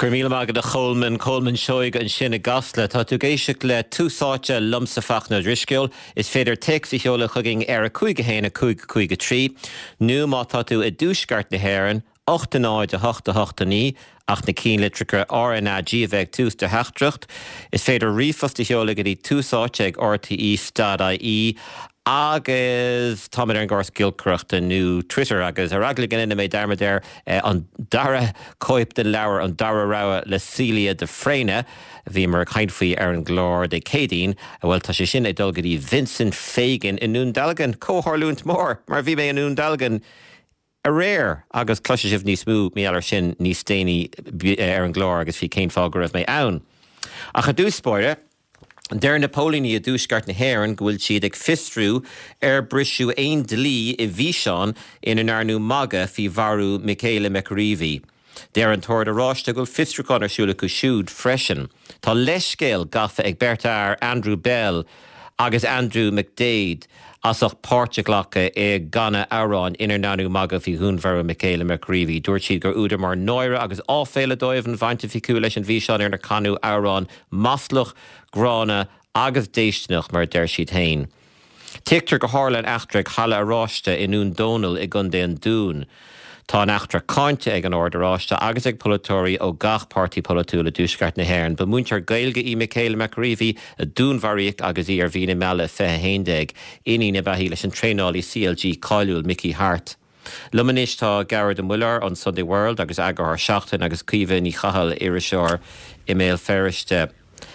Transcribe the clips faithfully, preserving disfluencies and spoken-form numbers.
Gur míle maith agat a Cholman Colman Seoighe ansin i gCasla tá tú ag éisteacht le Tús Áite liomsa Fachtna Ó Drisceoil, is féidir téacs a sheoladh chugainn ar a cúig a haon a cúig cúig a trí, nó má tá tú i dtuaisceart na hÉireann, ocht a náid a hocht a hocht a naoi ach na ceannlitreacha RnaG a bheith ag tús do theachtaireacht, is féidir ríomhphost a sheoladh go dtí tús áite ag RTE dot IE agus táimid ar an gcóras giolcaireachta nó Twitter agus ar eagla go ndéanfaidh mé dearmad air an dara cóip den leabhar an dara rogha le Celia de Fréine a bhíomar ag caint faoi ar an gclár Dé Céadaoin, bhuel tá sé sin ag dul go dtí Vincent Fagan i nDún Dealgan, comhtharlúint mór mar bhí mé i nDún Dealgan aréir agus cloisfidh sibh níos mó mar gheall air sin níos déanaí ar an gclár agus faoi cén fáth go raibh mé ann. Ach i dtús báire, Deir na póilíní i dtuaisceart na hÉireann go bhfuil siad ag fiosrú ar briseadh aon dlí i bhfíseán ina ndearnadh magadh faoi mharú Michaela McAreavey. Deir an tOrd Oráiste go bhfuil fiosrúchán ar siúl acu siúd freisin. Tá leithscéal gafa ag beirt fhear, Andrew Bell agus Andrew McDaid, as ucht páirt a ghlacadh i gcanadh amhráin inar ndearnadh magadh faoi dhúnmharú Michaela McAreavey. Dúirt siad gur údar mór náire agus áiféala dóibh an bhaint a bhí acu leis an bhfíseán inar canadh amhrán maslach, gránna agus déistineach, mar a deir siad féin. Tuigtear gur tharla an eachtra ag Halla Oráiste i nDún Dónaill i gContae an Dúin. Tá an eachtra cáinte ag an Ord Oráiste agus ag polaiteoirí ó gach páirtí polaitiúil i dTuaisceart na hÉireann. Ba mhúinteoir Gaeilge í Michaela McAreavey a dúnmharaíodh agus í ar mhí na meala fiche a haon déag. Iníon ab ea í leis an traenálaí CLG cáiliúil Mickey Harte. Liom anois tá Gearóid Ó Muilleoir ón Sunday World agus eagarthóir Seachtain agus Caoimhe Ní Chathail, iriseoir i mBéal Feirste.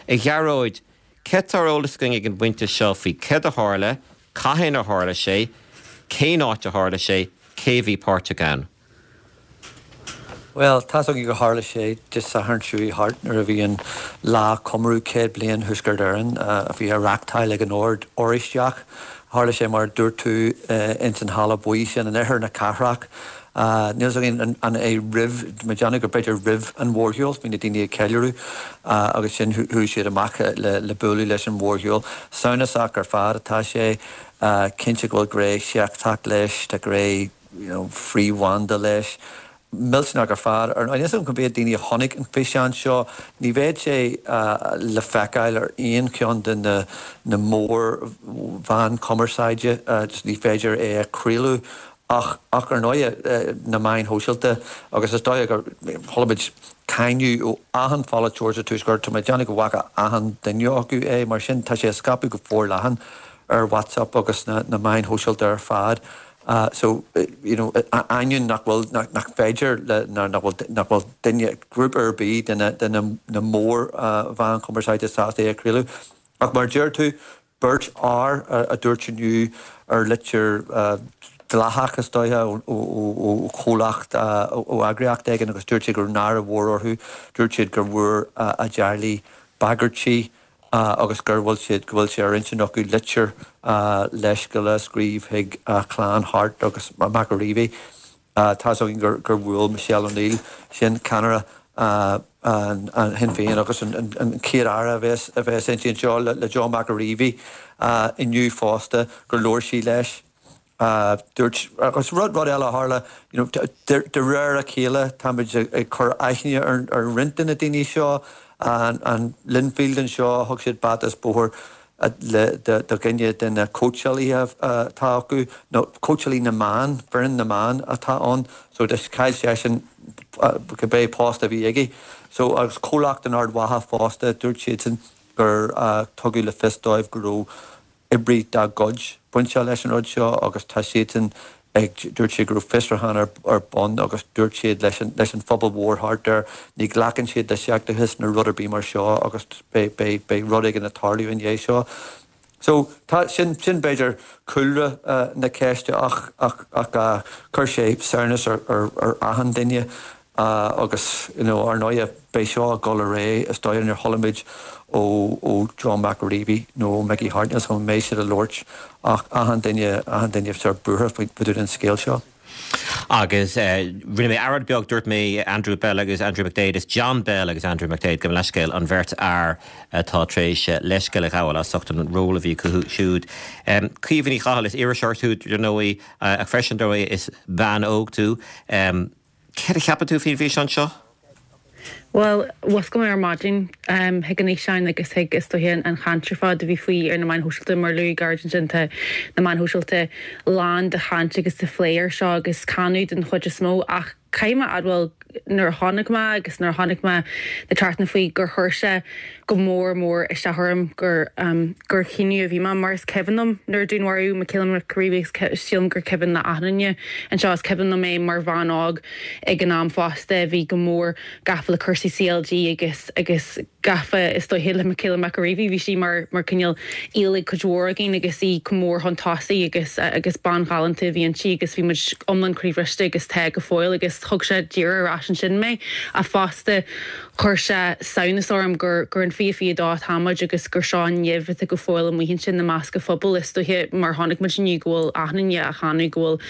A Ghearóid, céard atá ar eolas againn ag an bpointe seo faoi céard a tharla, cathain a tharla sé, cén áit a tharla sé, cé a bhí páirteach ann? Bhuel, tá's againn gur tharla sé Dé Sathairn seo chuaigh thart nuair a bhí an lá comóradh céad bliain Thuaisceart Éireann a bhí á reachtáil ag an Ord Oráisteach. Tharla sé mar a dúirt tú ins an halla buí sin in oirthear na cathrach. Níl 's againn an é roimh, mé ag déanamh gur b'fhéidir roimh an mhórshiúl, bhí na daoine ag ceiliúradh agus sin chuaigh siad amach le bualadh leis an mhórshiúl. Samhnasach ar fad atá sé, cinnte go bhfuil gné sheicteach leis, tá gné you know frith-bhanda leis. Millteanach ar fad. Ar ndóigh, níl 's agam cá mhéad daoine a chonaic an físeán seo. Ní bheidh sé le feiceáil ar aon cheann de na na mór-mheáin chumarsáide, just ní féidir é a chraoladh. Ach, ach ar ndóigh, na meáin shóisialta agus is dóigh gur chuala muid cáineadh ó achan pholaiteoir sa Tuaisceart, tá mé ag déanamh go bhfaca achan duine acu é, mar sin tá sé ag scaipeadh go forleathan ar WhatsApp agus na na meáin shóisialta ar fad. So, you know, ainneoin nach bhfuil, nach féidir le, nach bhfuil, nach bhfuil duine, grúpa ar bith de na, de na, na mór-mheáin chumarsáide sásta é a chraoladh. Ach mar a deir tú, beirt fhear a dúirt inniu ar litir dleathach, is dóiche, ó, ó, ó chomhlacht, ó eagraíocht éigin agus dúirt siad go raibh náire mhór orthu. Dúirt siad gur bhfuair a dteaghlaigh bagairtí agus gur bhfuil siad, go bhfuil sé ar intinn acu litir leithscéil a scríobh chuig clann Harte agus McAreavey. Tá's againn gur gur bhuail Michelle O'Neill, sin ceannaire an Shinn Féin agus an chéad aire a bheas a bheas inti anseo le John McAreavey inniu fosta, gur labhair sí leis. Dúirt, agus rud rud eile a tharla, you know, de de réir a chéile táimid ag cur aithne ar ar roinnt de na daoine seo, an an Linfield anseo, thug siad bata is bóthar le do do dhuine de na cóitseálaithe atá acu, nó cóitseálaí na mban, foireann na mban atá ann, so chaill seisean cibé post a bhí aige. So agus comhlacht in Ard Mhacha fosta, dúirt siadsan gur tugadh le fios dóibh go raibh oibrí dá gcuid bainteach leis an rud seo agus tá siadsan ag, dúirt siad go raibh fiosrúchán ar ar bun agus dúirt siad leis an leis an phobal mhór thart air, ní ghlacann siad le seicteachas nó rud ar bith mar seo agus beidh beidh beidh rud éigin ag tarlú i ndiaidh seo. So tá, sin sin b'fhéidir cúlra na ceiste ach ach ach chuir sé samhnas ar ar ar achan duine. Agus, you know, ar ndóighe, beidh seo ag dul ar aghaidh, is dóigh, níor chuala muid ó ó John McAreavey nó ó Mickey Harte, níl 's agam an mbeidh siad ag labhairt ach achan duine, achan duine sórt buartha faoi dtaobh den scéal seo. Agus rinne mé earráid beag, dúirt mé Andrew Bell agus Andrew McDaid, is John Bell agus Andrew McDaid, gabh mo leithscéal, an bheirt fhear atá tar éis leithscéal a ghabháil as ucht an ról a bhí acu siúd. Caoimhe Ní Chathail, is iriseoir tú, dar ndóigh, ach freisin, dar ndóigh, is bean óg tú. Céard a cheapann tú faoin bhfíseán seo? Well, mhuscail mé ar maidin um, chuig an fhíseán agus chuig is dóiche an chaint ar fad a bhí faoi ar na meáin shóisialta mar luaigh Gearóid ansin tá na meáin shóisialta lán de chaint agus de phlé air seo agus cáineadh den chuid is mó ach caithfidh mé a admháil nuair a tháinig mé agus nuair a tháinig mé na trasna faoi gur chuir sé go mór mór isteach orm gur um, gur cinneadh a bhí mar is cuimhin liom nuair a dúnmharaíodh Michaela McAreavey sílim gur cuimhin le achan duine anseo is cuimhin liom é mar bhean óg ag an am fosta bhí go mór gafa le cúrsaí CLG agus agus gafa is dóiche le Michaela McAreavey bhí sí mar mar cineál íolig cuid mhór againn agus í go mór chun tosaigh agus agus bean ghalánta bhí inti agus bhí muid iomlán croíbhriste agus tá go fóill agus thug sé díreach ar ais ansin mé a fosta chuir sé samhnas orm gur gur an fiche fiche dó táimid agus gur seo an nimh atá go fóill amuigh ansin i measc an phobail is dóiche mar tháinig muid inniu go bhfuil achan duine á cháineadh go bhfuil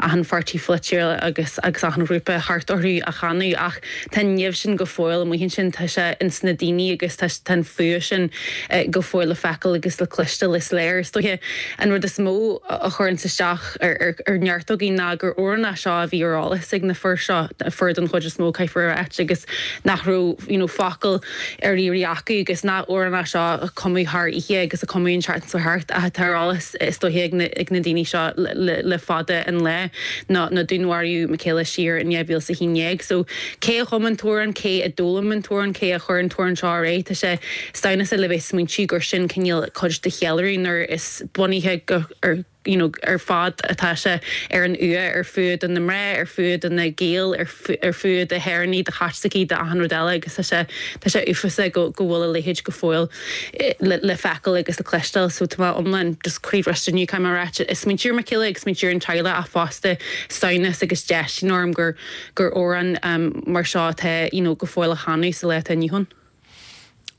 achan pháirtí polaitiúil agus agus achan ghrúpa thart orthu á cháineadh ach tá an nimh sin go fóill amuigh ansin tá sé ins na daoine agus tá an fuath sin eh, go fóill le feiceáil agus le cloisteáil is léir is dóiche an rud is mó a chuireann isteach ar, ar, ar neart againn ná gur amhrán é seo a bhí ar eolas ag na fir seo fir den chuid is mó caithfear a rá agus nach raibh you know, focal ar iarraidh acu agus nach amhrán é seo a cumadh thar oíche agus a cumadh an tseachtain seo thart a tá ar eolas is dóiche ag na, ag na daoine seo le, le, le fada an lá ná na dúnmharaíodh Michaela siar in dhá mhíle is a haon déag. So cé a chum an t-amhrán cé a d'fhoghlaim an t-amhrán cé a chuir an t-amhrán seo ar aghaidh tá sé samhnasach le bheith smaointiú gur sin cineál cuid de cheiliúradh nuair is bunaithe go ar you know, ar fad atá sé ar an fhuath ar fuath do na mná, ar fuath do na Gaeil, ar fuath do hÉireannaigh, do Chaitlicigh, do achan rud eile agus tá sé tá sé uafásach go go bhfuil a leithéid go fóill eh, le, le feiceáil agus le cloisteáil, so tá mé iomlán just croíbhriste inniu caithfidh mé a rá is smaointiú ar Michaela agus smaointiú ar an teaghlach ach fosta samhnas agus déistin orm gur gur amhrán um, mar seo atá you know, go fóill á chanadh sa lá atá inniu ann.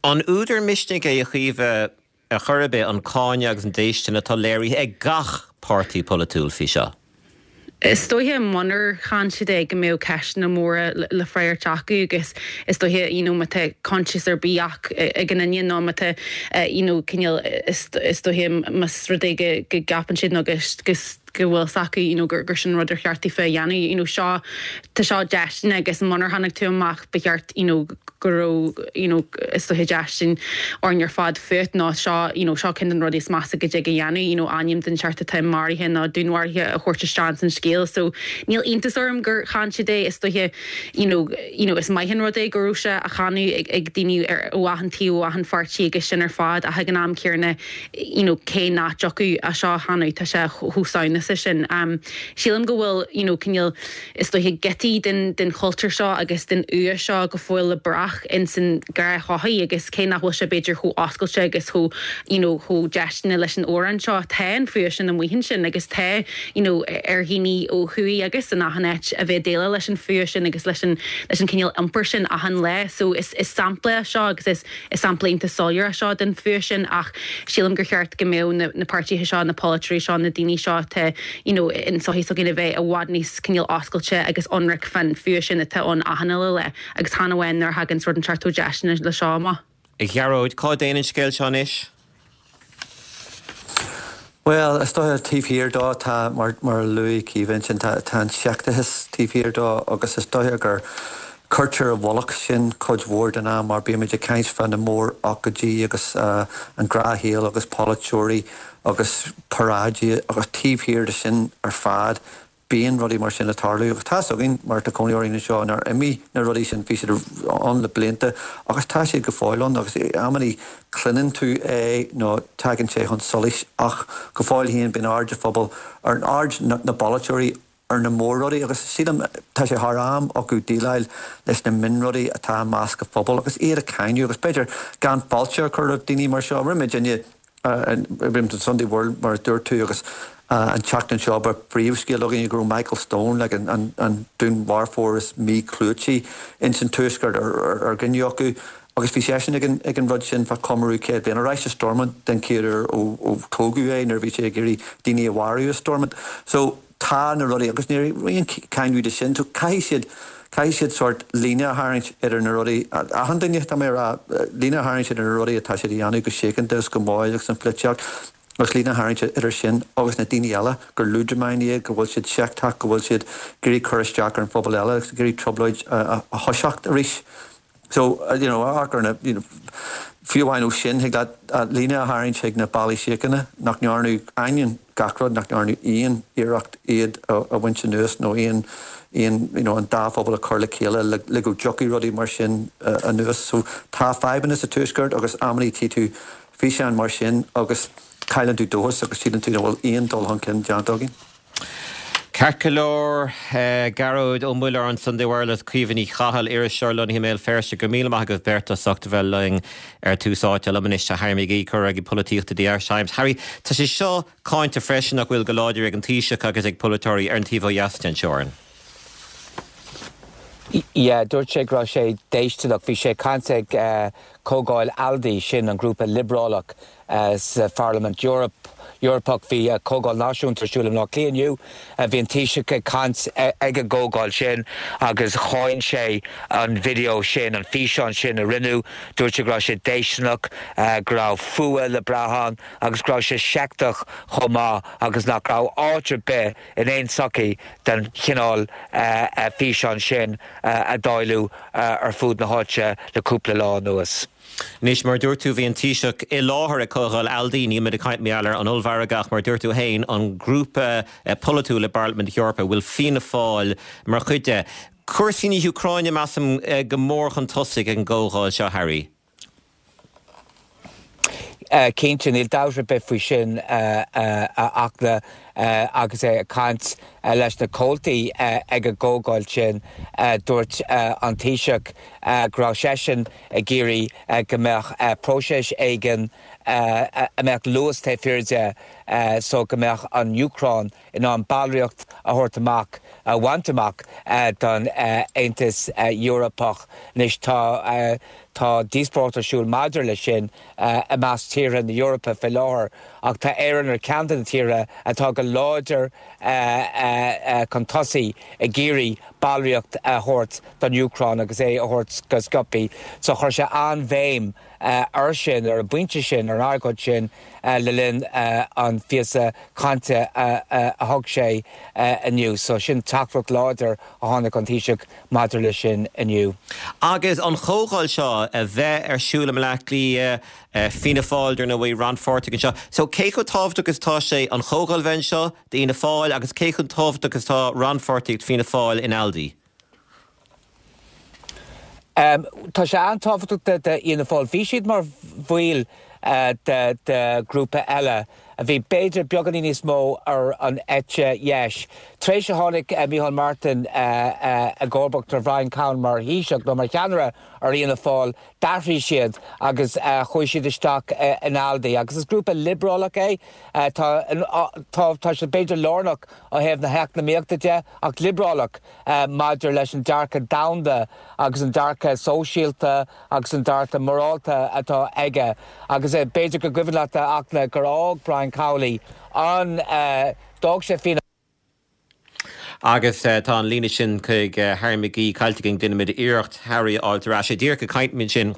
An údar misnigh é a Chaoimhe ar chor ar bith an cáineadh agus an déistin atá léirithe ag gach páirtí polaitiúil faoi seo. Is dóiche munar cháin siad é go mbeadh ceisteanna móra le freagairt acu agus is dóiche you know, má tá coinsias ar bith ach ag an duine nó má tá you know, cineál is dóiche más rud é go go gceapann siad nó go go bhfuil s'acu you know, gur gur sin rud ar cheart daofa a dhéanamh you know, seo tá seo déistin agus munar tháinig tú amach ba cheart you know, go raibh you know, is dóiche déistin orainn ar fad fút ná seo you know, seo ceann de na rudaí is measa go dtig a dhéanamh you know, ainm den seort atá maraithe nó dúnmharaithe a thabhairt isteach san scéal so níl iontas orm gur cháin siad é is dóiche you know, you know, is maith an rud é go raibh sé á cháineadh ag, ag daoine ar ó achan taobh ó achan pháirtí agus sin ar fad ach ag an am céanna you know, cé nach dtiocfadh é seo a cháineadh tá sé chomh samhnasach sin. Um, sílim go bhfuil you know, cineál is dóiche giotaí den, den chultúr seo agus den fhuath seo go fóill le brath in san ghnáthshochaí agus cé nach bhfuil sé b'fhéidir chomh oscailte agus chomh you know, chomh déisteanach leis an amhrán seo tá an fuath sin amuigh ansin agus tá you know, ar dhaoine ó thuaidh agus in achan áit a bheith déileáil leis an fuath sin agus leis an leis an cineál iompar sin achan lá so is, is sampla seo agus is, is sampla iontach soiléir seo den fuath sin ach sílim gur cheart go mbeadh na, na páirtithe seo na polaiteoirí seo na daoine seo te you know, in sochaí s'againn a bheith i bhfad níos cineál oscailte agus ionraic fán fuath sin atá ann achan uile lá agus chan amháin nuair a thagann rud inteacht déisteanach le seo amach. A Ghearóid cá dtéann an scéal seo anois? Well, is dóiche taobh thiar dó tá mar mar a luaigh Caoimhe sin tá tá an seicteachas taobh thiar dó agus is dóiche gur cuirtear i bhfolach sin cuid mhór den am mar bímid ag caint fá na mórócáidí agus uh, an gnáthshaol agus polaiteoirí agus paráidí agus taobh thiar de sin ar fad bíonn rudaí mar sin ag tarlú agus tá againn mar tá cónaí orainn anseo nár imigh na rudaí sin bhí siad ann le blianta agus tá siad go fóill ann agus amannaí cluineann tú é nó tagann sé chun solais ach go fóill féin bíonn aird an phobail ar an aird na, na bpolaiteoirí ar na mórrudaí agus sílim tá sé thar am acu déileáil leis na mionrudaí atá i measc an phobail agus iad a cháineadh agus b'fhéidir gan fáilte a chur roimh daoine mar seo rinne duine rim an Sunday World mar a dúirt tú agus an tseachtain seo ba phríomhscéal againn go raibh Michael Stone le an, an, an dúnmharfóir is míchlúití in san tuaisceart ar, ar dhuine acu agus bhí seisean ag an, ag an rud sin fá chomóradh céad bliain ar ais i Stormont den chéad uair ó, ó tógadh é nuair bhí sé ag iarraidh daoine a mharú i Stormont. So tá na rudaí agus ní raon cáineadh de sin, so caithfidh siad caithfidh siad sort líne a tharraingt idir na rudaí achan duine tá mé rá líne a tharraingt idir na rudaí atá siad a dhéanamh go síochánta agus go mall agus an pholaitíocht agus líne a tharraingt idir sin agus na daoine eile gur leadramáin iad go bhfuil siad seicteach go bhfuil siad ag iarraidh cur isteach ar an phobal eile agus ag iarraidh trioblóid a, a, a thoiseacht arís. So, you know, amharc ar na, you know, fiú amháin ó sin thig leat líne a tharraingt chuig na ballaí síochána nach ndearnadh ainneoin gach rud nach ndearnadh aon iarracht iad a bhaint anuas nó aon aon you know, an dá phobal a chur le chéile le, le go dtiocfaidh rudaí mar sin uh, anuas. So tá fadhbanna sa tuaisceart agus amannaí tchí tú físeán mar sin agus cailleann tú dóchas agus síleann tú nach bhfuil aon dul chun cinn déanta againn. Ceart go leor Gearóid Ó Muilleoir Sunday World Caoimhe Ní Chathail iriseoir lonnaithe i mBéal Feirste go míle maith agaibh beirt as ucht a bheith linn ar Tús Áite liom anois Harry McGee comhfhreagraí polaitíochta The Irish Times. Harry, tá sé seo cáinte freisin nach bhfuil go láidir ag an Taoiseach agus ag polaiteoirí ar an taobh ó dheas den teorainn. Yeah, dúirt sé go raibh sé déistineach bhí sé ag caint ag uh, comhdháil ALDE sin an grúpa liobrálach uh, sa Pharlaimint Europe. Eorpach bhí uh, comhdháil náisiúnta ar siúl i mBleá Cliath inniu bhí an Taoiseach ag caint ag an gcomhdháil sin agus cháin sé an video sin an físeán sin a rinneadh dúirt sé go raibh sé déistineach go raibh fuath le brath ann agus go raibh sé seicteach chomh maith agus nach raibh áit ar bith in aon sochaí den chineál físeán sin a dáileadh ar fud na háite le cúpla lá anuas. Anois mar dúirt tú bhí an Taoiseach i láthair ag comhdháil ALDE ní ag caint mar gheall ar an ollmhargadh mar dúirt tú féin an grúpa polaitiúil i bParlaimint Eorpach bhfuil Fianna Fáil mar chuid de. Cúrsaí na hÚcráine measaim go mór chun tosaigh an gcomhdháil seo Harry. Cinnte níl dabht ar bith faoi sin ach agus é ag caint leis na comhaltaí ag an gcomhdháil sin dúirt an Taoiseach go raibh seisean ag iarraidh go mbeadh próiseas éigin a mbeadh luas taobh thiar de so go mbeadh an Úcráin in ann ballraíocht a thabhairt amach a bhaint amach don Aontas Eorpach anois tá tá díospóireacht ar siúl maidir leis sin i measc tíortha na Eorpa faoi láthair ach tá Éire ar cheann de na tíortha atá go láidir chun tosaigh ag iarraidh ballraíocht a thabhairt don Úcráin agus é a thabhairt go sciobtha so chuir sé an-bhéim air sin ar an bpointe sin ar an argóint sin le linn an phíosa cainte a thug sé inniu, so sin teachtaireacht láidir a tháinig ón Taoiseach maidir leis sin inniu. Agus an chomhdháil seo a bheith ar siúl i mBleá Cliath Fianna Fáil dar ndóigh rannpháirteach anseo. So cé chomh tábhachtach is tá sé an chomhdháil bheith anseo d'Fhianna Fáil agus cé chomh tábhachtach is tá rannpháirtíocht Fianna Fáil in ALDE. Um, tá sé an-tábhachtach d'Fhianna Fáil. Bhí siad mar bhaill uh, de, de grúpa eile a bhí b'fhéidir beagáinín níos mó ar an eite dheis. Tar éis a tháinig uh, Micheál Martin uh, uh, i gcomharbacht ar Brian Cowen mar Thaoiseach nó mar cheannaire ar Fhianna Fáil d'athraigh siad agus uh, chuaigh siad isteach uh, in ALDE agus is grúpa liobrálach é uh, tá tá tá sé b'fhéidir lárnach ó thaobh na heacnamaíochta de ach liobrálach uh, maidir leis an dearcadh domhanda agus an dearcadh sóisialta agus an dearcadh morálta atá aige agus uh, b'fhéidir go gcuimhin leat ach gur fhág Brian Cowley an uh, d'fhág sé Fianna Agus uh, tá an líne sin chuig uh, Harry McGee caillte againn déanfaimid iarracht Harry a fháil ar ais díreach ag caint ansin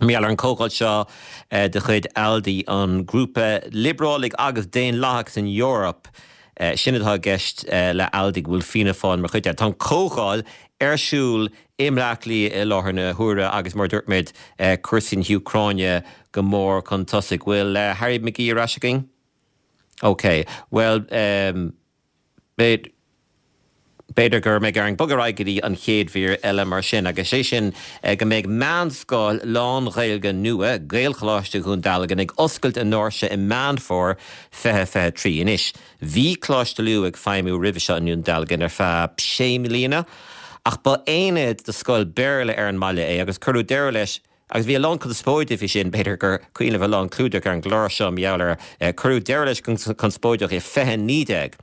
mar gheall ar an gcomhdháil seo uh, de chuid ALDE an grúpa liobrálaigh agus daonlathach san Eoraip. Uh, sin atá i gceist uh, le ALDE bhfuil Fianna Fáil mar chuid. Tá comhdháil ar siúl i mBleá Cliath i láthair na huaire agus mar dúirt muid uh, cúrsaí na hÚcráine go mór chun tosaigh bhfuil uh, Harry McGee ar ais againn? Ok, well um, B'fhéidir gur mbeidh orainn bogadh ar aghaidh go dtí an chéad mhír eile mar sin, agus sé sin go mbeidh meánscoil lán-Ghaeilge nua Gaelcholáiste Dhún Dealgan ag oscailt a ndoirse i Meán Fómhair fiche fiche trí anois. Bhí Coláiste Lú ag feidhmiú roimhe seo i nDún Dealgan ar feadh sé mbliana, ach ba aonad de scoil Béarla ar an mbaile é agus cuireadh deireadh leis agus bhí a lán conspóide faoi sin b'fhéidir gur cuimhin libh a lán clúdach ar an gclár seo mar gheall air cuireadh deireadh leis conspóideach i fiche naoi déag.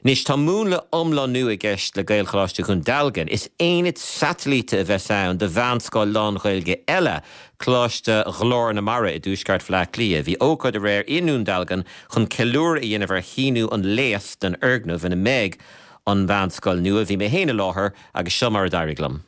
Anois tá múnla iomlán nua i gceist le Gaelcholáiste Dhún Dealgan. Is aonad satailíte a bheas ann do mheánscoil lán-Ghaeilge eile, Coláiste Ghlór na Mara i dtuaisceart Bhaile Átha Cliath. Bhí ócáid aréir i nDún Dealgan chun ceiliúradh a dhéanamh ar shíniú an léas don fhoirgneamh ina mbeidh an mheánscoil nua. Bhí mé féin i láthair agus seo mar a d'éirigh liom.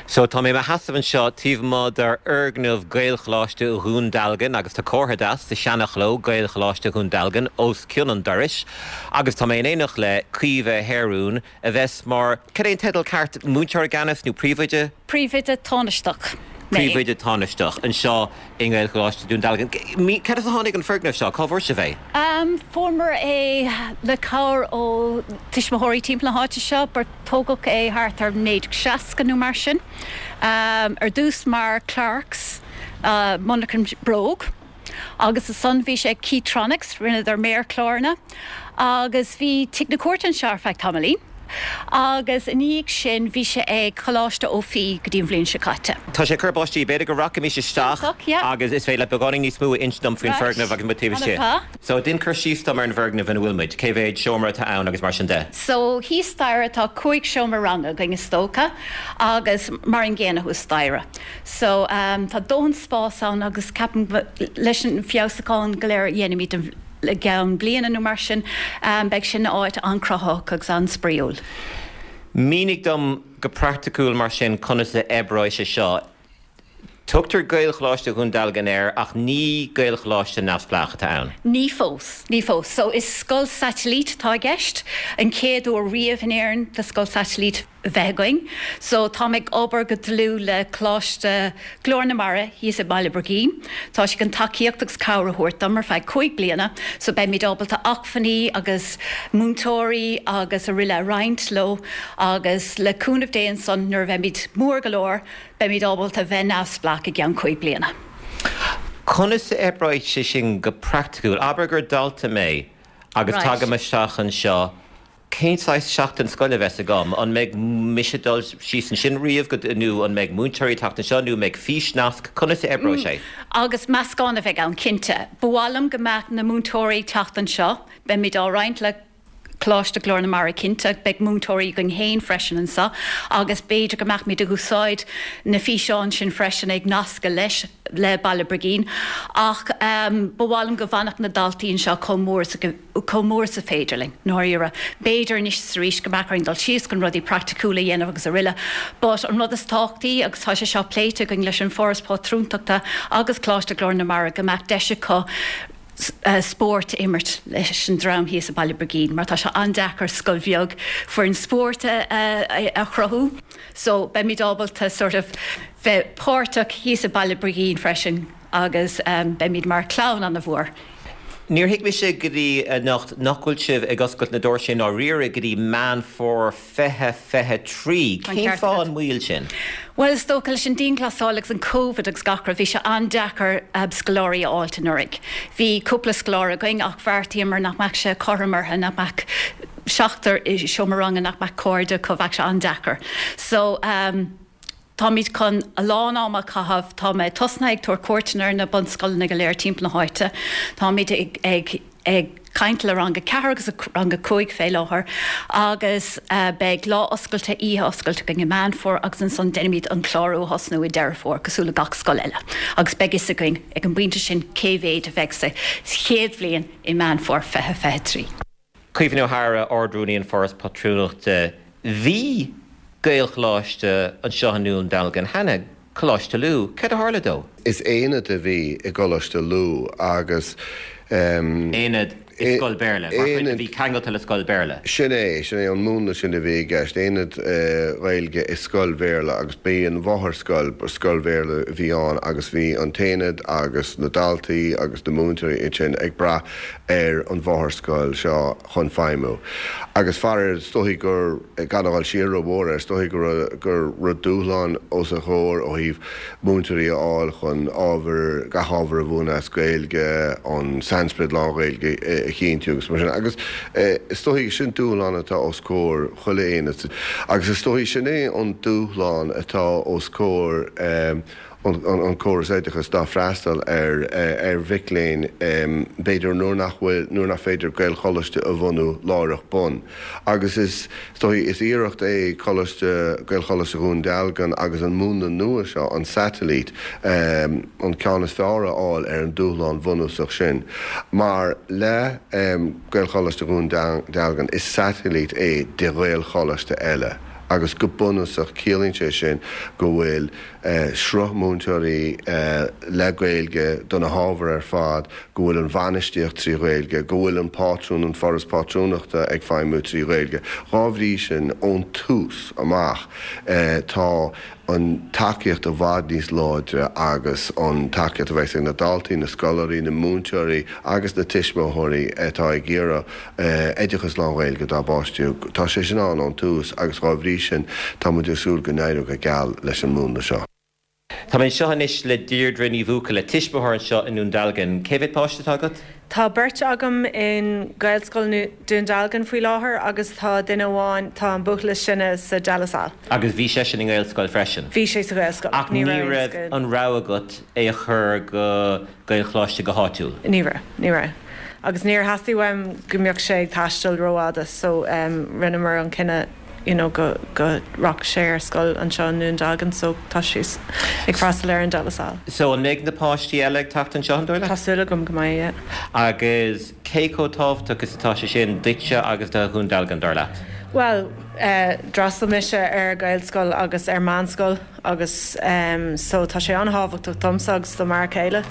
So tá mé i mo sheasamh anseo taobh amuigh d'fhoirgneamh Gaelcholáiste Dhún Dealgan agus tá comhartha deas sa seana-chló Gaelcholáiste Dhún Dealgan os cionn an dorais agus tá mé in éineacht le Caoimhe Hearún a bheas mar cad é an teideal ceart múinteoir i gceannas nó príomhoide? Príomhoide tánaisteach. Príomhoide tánaisteach anseo i nGaelcholáiste Dhún Dealgan. Cad as a tháinig an foirgneamh seo cá bhfuair sibh é? Um, Fuaireamar é le cabhair ó tuismitheoirí timpeall na háite seo, bar tógadh é thart ar naoi déag seasca nó mar sin. Um, ar dtús mar Clarks uh, monarcha bróg. Agus ansan bhí sé Keytronics rinneadar méarchláranna, agus bhí Tigh na Cúirte anseo ar feadh tamaillín. Agus ina dhiaidh sin bhí sé ag Coláiste Ó Fiaich go dtí an bhliain seo caite. Tá sé ag cur báistí b'fhéidir go rachaimis isteach agus is féidir le beagáinín níos mó a insint dom faoin foirgneamh agus muid taobh istigh. So déan cur síos dom ar an bhfoirgneamh ina bhfuil muid, cé mhéad seomra atá ann agus mar sin de. So thíos staighre tá cúig seomra ranga againn is dócha agus mar an gcéanna thuas staighre. So um, tá dóthain spás ann agus ceapaim leis an feabhsúchán go léir a dhéanaimid an i gceann bliana nó mar sin, beidh sin áit an-chruthaitheach agus an-spraíúil. Mínigh dom go praiticiúil mar sin conas a oibreoidh sé seo. Tugtar Gaelcholáiste Dhún Dealgan air ach ní Gaelcholáiste neamhspleách atá ann. Ní fós, ní fós. So is scoil satailíte atá i gceist, an chéad uair riamh in Éirinn do scoil satailíte a bheith againn. So táim ag obair go dlúth le Coláiste Ghlór na Mara thíos i mBaile Brigín. Tá siad chun tacaíocht agus cabhair a thabhairt dom ar feadh cúig bliana, so beimid ábalta acmhainní agus múinteoirí agus araile a roinnt leo agus le cúnamh Dé ansan nuair a bheimid mór go leor, beimid ábalta bheith neamhspleách i gceann cúig bliana. Conas a oibreoidh sé sin go praiticiúil? Abair gur dalta mé agus tagaim isteach anseo, cén saghas seachtain scoile a bheas agam? An mbeidh mise ag dul síos ansin riamh go nó an mbeidh múinteoirí ag teacht anseo nó an mbeidh físnasc? Conas a oibreoidh sé? Agus meascán a bheidh ann, cinnte. Ba mhaith liom go mbeadh na múinteoirí ag teacht anseo. Beimid á roinnt le Coláiste Ghlór na Mara cinnte, beidh múinteoirí againn féin freisin anseo agus b'fhéidir go mbeimid ag úsáid na físeáin sin freisin ag nascadh leis le Baile Brigín. Ach ba mhaith liom go bhfanfadh na daltaí anseo chomh mór is chomh mór is a féidir linn, ndáiríre. B'fhéidir anois is arís go mbeadh orainn dul síos chun rudaí praiticiúla a dhéanamh agus araile. But an rud is tábhachtaí, agus tá sé seo pléite againn leis an Foras Pátrúntachta agus Coláiste Ghlór na Mara, go mbeadh deis acu spórt a imirt leis an dream thíos i Baile Brigín mar tá sé an-deacair scoil bheag foireann spóirt a chruthú. So beimid ábalta sort of bheith páirteach thíos i Baile Brigín freisin agus beimid mar chlann an-mhór. Níor thuig mise go dtí anocht nach bhfuil sibh ag oscailt na doirse i ndáiríre go dtí Meán Fómhair fiche fiche trí. Cén fáth an mhoill sin? Bhuel, is dócha leis an dianghlasáil agus an Covid agus gach rud, bhí sé an-deacair scoláirí a fháilt anuraidh. Bhí cúpla scoláire againn ach bheartaíomar nach mbeadh sé cothrom orthu, nach mbeadh seachtar i seomra ranga, nach mbeadh cairde acu, bheadh sé an-deacair. So, táimid chun a lán ama a chaitheamh, tá mé tosnaithe ag tabhairt cuairteanna ar na bunscoileanna go léir timpeall na háite, táimid ag ag ag caint le rang a ceathair agus rang a cúig fé láthair agus beidh lá oscailte, oíche oscailte againn i Meán Fómhair agus ansan déanfaimid an clárú a thosnú i Deireadh Fómhair cosúil le gach scoil eile agus beidh fhios againn ag an bpointe sin cé mhéid a bheidh sa chéad bhliain i Meán Fómhair fiche fiche trí. Caoimhe Ní Eadhra, Ard-Rúnaí an Foras Pátrúnachta, Bhí Gaelcholáiste anseo i nDún Dealgan cheana, Coláiste Lú. Céard a tharla dó? Is aonad a bhí i gColáiste Lú agus. Aonad i scoil Béarla, mar chuid a bhí ceangailte le scoil Béarla. Sin é, sin é an múnla sin a bhí i gceist, aonad Gaeilge i scoil Bhéarla agus b'í an mháthairscoil, scoil Bhéarla a bhí ann agus bhí an t-aonad agus na daltaí agus na múinteoirí ansin ag brath ar an mháthairscoil seo chun feidhmiú. Agus faraor, is dóichí gur, gan a dhul siar rómhór air, is dóichí go raibh, go raibh dúshlán os a chomhair ó thaobh múinteoirí a fháil chun ábhar, gach ábhar a mhúineadh as Gaeilge, an sainsprid lán-Ghaeilge a chinntiú agus mar sin. Agus is dóichí sin dúshlán atá os comhair chuile aonad. Agus is dóichí sin é an dúshlán atá os comhair an córas oideachais ná freastal ar ar mhic léinn b'fhéidir nuair nach bhfuil, nuair nach féidir Gaelcholáiste a bhunú láithreach bonn. Agus is dóichí, is iarracht é Coláiste, Gaelcholáiste Dhún Dealgan agus an múnla nua seo, an satailít, an ceann is fearr a fháil ar an dúshlán bhunúsach sin. Mar le Gaelcholáiste Dhún Dealgan, is satailít é de Ghaelcholáiste eile. Agus go bunúsach ciallaíonn sé sin go bhfuil sruth múinteoirí le Gaeilge do na hábhair ar fad, go bhfuil an bhainistíocht trí Ghaeilge, go bhfuil an pátrún, an Foras Pátrúnachta ag feidhmiú trí Ghaeilge. Dhá bhrí sin, ón tús amach tá an tacaíocht i bhfad níos láidre agus an tacaíocht a bheas ag na daltaí, na scoláirí, na múinteoirí agus na tuismitheoirí atá ag iarraidh oideachas lán-Ghaeilge dá bpáistí, tá sé sin ann ón tús agus dhá bhrí sin tá muid ag súil go n-éireoidh go geal leis an múnla seo. Tá mé anseo anois le Deirdre Ní Bhuachalla, tuismitheoir anseo i nDún Dealgan. Cé mhéad páiste atá agat? Tá beirt agam in Gaelscoil Dún Dealgan faoi láthair agus tá duine amháin, tá an buachaill is sine sa De La Salle. Agus bhí seisean i nGaelscoil freisin? Bhí sé sa Ghaelscoil. Ach ní raibh an rogha agat é a chur go Gaelcholáiste go háitiúil? Ní raibh, ní raibh. Agus níor theastaigh uaim go mbeadh sé ag taisteal rófhada so rinneamar an cinneadh you know go go rachadh sé ar scoil anseo i nDún Dealgan so tá sé ag freastal ar an De La Salle. So an mbeidh na páistí eile ag teacht anseo an dóigh leat? Tá súil agam go mbeidh, yeah. Agus cé chomh tábhachtach is atá sé sin duitse agus do Dhún Dealgan, dar leat? Bhuel, d'fhreastail mise ar Ghaelscoil agus ar meánscoil agus so tá sé an-thábhachtach domsa agus do m'fhear céile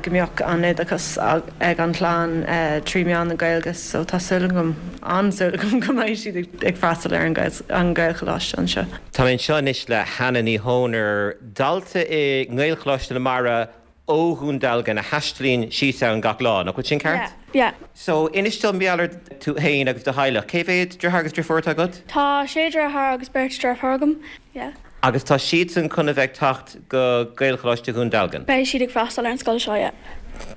go mbeadh an oideachas ag an chlann trí mheán na Gaeilge so tá súil agam, an-súil agam go mbeidh siad ag freastal ar an Ghaelcholáiste anseo. Tá mé anseo anois le Hannah Ní Chónair, dalta i nGaelcholáiste na Mara ó Dhún Dealgan a thaistlíonn síos ann gach lá, nach bhfuil sin ceart? Yeah, yeah. So, inis dom mar gheall ar tú féin agus do theaghlach. Cé mhéad deartháir agus deirfiúr atá agat? Tá sé dheartháir agus beirt deirfiúr agam, yeah. Agus tá siadsan chun a bheith ag teacht go Gaelcholáiste Dhún Dealgan? Beidh siad ag freastal ar an scoil seo, yeah.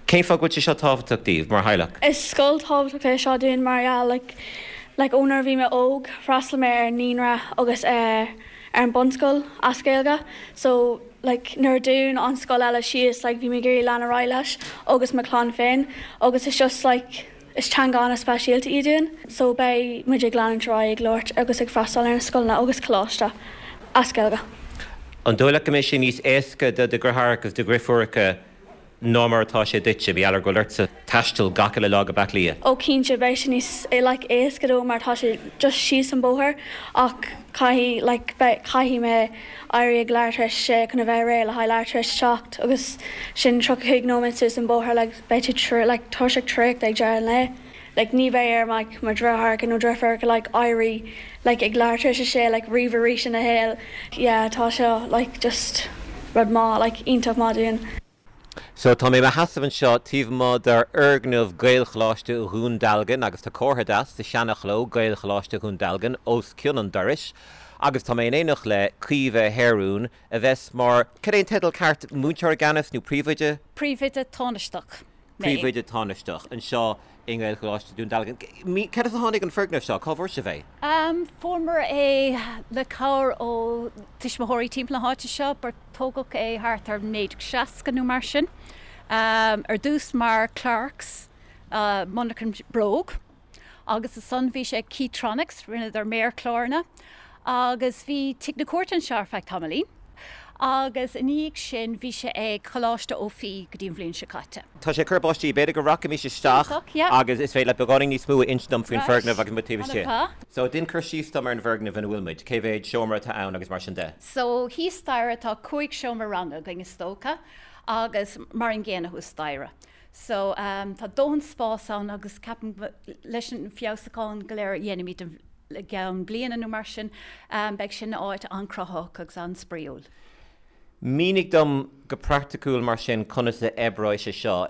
Cén fáth go bhfuil sé seo tábhachtach daoibh, mar theaghlach? Is scoil tábhachtach é seo dúinn mar gheall, like, like ó nuair a bhí mé óg, fhreastail mé ar naíonra agus ar ar an bunscoil as Gaeilge so like nuair a dún an scoil eile síos like bhí mé ag iarraidh lean ar aghaidh leis agus mo chlann féin agus it's just like is teanga an-speisialta í dúinn so beidh muid ag leanúint ar aghaidh ag labhairt agus ag freastal ar na scoileanna agus coláiste as Gaeilge. An dóigh leat go mbeidh sé níos éasca do do dheartháireacha agus do dheirfiúracha ná mar atá sé duitse, mar gheall ar go bhfuil ortsa taisteal gach uile lá go Bleá Cliath? Ó cinnte, beidh sé níos like éasca dó mar tá sé just síos an bóthar ach caithfidh like beidh caithfidh mé éirí ag leathuair tar éis a sé chun a bheith réidh le haghaidh leathuair tar éis a seacht agus sin tríocha cúig nóiméad suas an bóthar like beidh tú tr like tuirseach traochta ag deireadh an lae. Like ní bheidh ar like mo dheartháireacha nó deirfiúracha like éirí like ag leathuair tar éis a sé like riamh arís ina shaol. Yeah tá seo like just rud maith like iontach maith dúinn. So, tá mé i mo sheasamh anseo taobh amuigh d'fhoirgneamh Gaelcholáiste Dhún Dealgan agus tá comhartha deas sa seana-chló, Gaelcholáiste Dhún Dealgan, os cionn an dorais agus tá mé in éineacht le Caoimhe Heron a bheas mar, cad é an teideal ceart, múinteoir i gceannas nó príomhoide? Príomhoide tánaisteach mé. Príomhoide tánaisteach anseo i nGaelcholáiste Dhún Dealgan. Cad as a tháinig an foirgneamh seo? Cá bhfuair sibh é? Fuaireamar é le cabhair ó tuismitheoirí timpeall na háite seo. Tógadh é thart ar naoi déag seasca nó mar sin, ar dtús mar Clarks, monarcha bróg, agus ansan bhí sé ag Keytronics, rinneadar méarchláranna, agus bhí Tigh na Cúirte anseo ar feadh tamaillín, agus i ndiaidh sin bhí sé ag Coláiste Ó Fiaich go dtí an bhliain seo caite. Tá sé ag cur báistí, b'fhéidir go rachaimis isteach agus is féidir leat beagáinín níos mó a insint dom faoin bhfoirgneamh agus muid taobh istigh. So, déan cur síos dom ar an bhfoirgneamh ina bhfuil muid, cé mhéad seomra atá ann agus mar sin de. So, thíos staighre tá cúig seomra ranga againn is dócha agus mar an gcéanna thuas staighre. So, tá dóthain spás ann agus ceapaim leis an feabhsúchán go léir a dhéanfaimid i gceann bliana nó mar sin, beidh sin ina áit an-chruthaitheach agus an-spraíúil. Mínigh dom go praiticiúil mar sin conas a oibreoidh sé seo.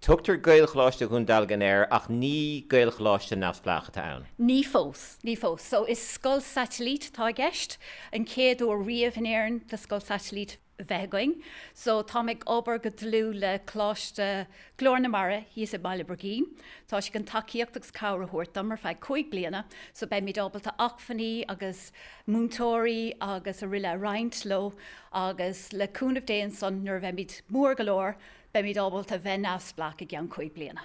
Tugtar Gaelcholáiste Dhún Dealgan air ach ní Gaelcholáiste neamhspleách atá ann. Ní fós, ní fós. So is scoil satailíte atá i gceist, an chéad uair riamh in Éirinn do scoil satailíte a bheith againn. So táim ag obair go dlúth le Coláiste Ghlór na Mara thíos i mBaile Brigín. Tá siad chun tacaíocht agus cabhair a thabhairt dom ar feadh cúig bliana so beimid ábalta acmhainní agus múinteoirí agus araile a roinnt leo agus le cúnamh Dé ansan nuair a bheimid mór go leor Beimid ábalta bheith neamhspleách i gceann cúig bliana.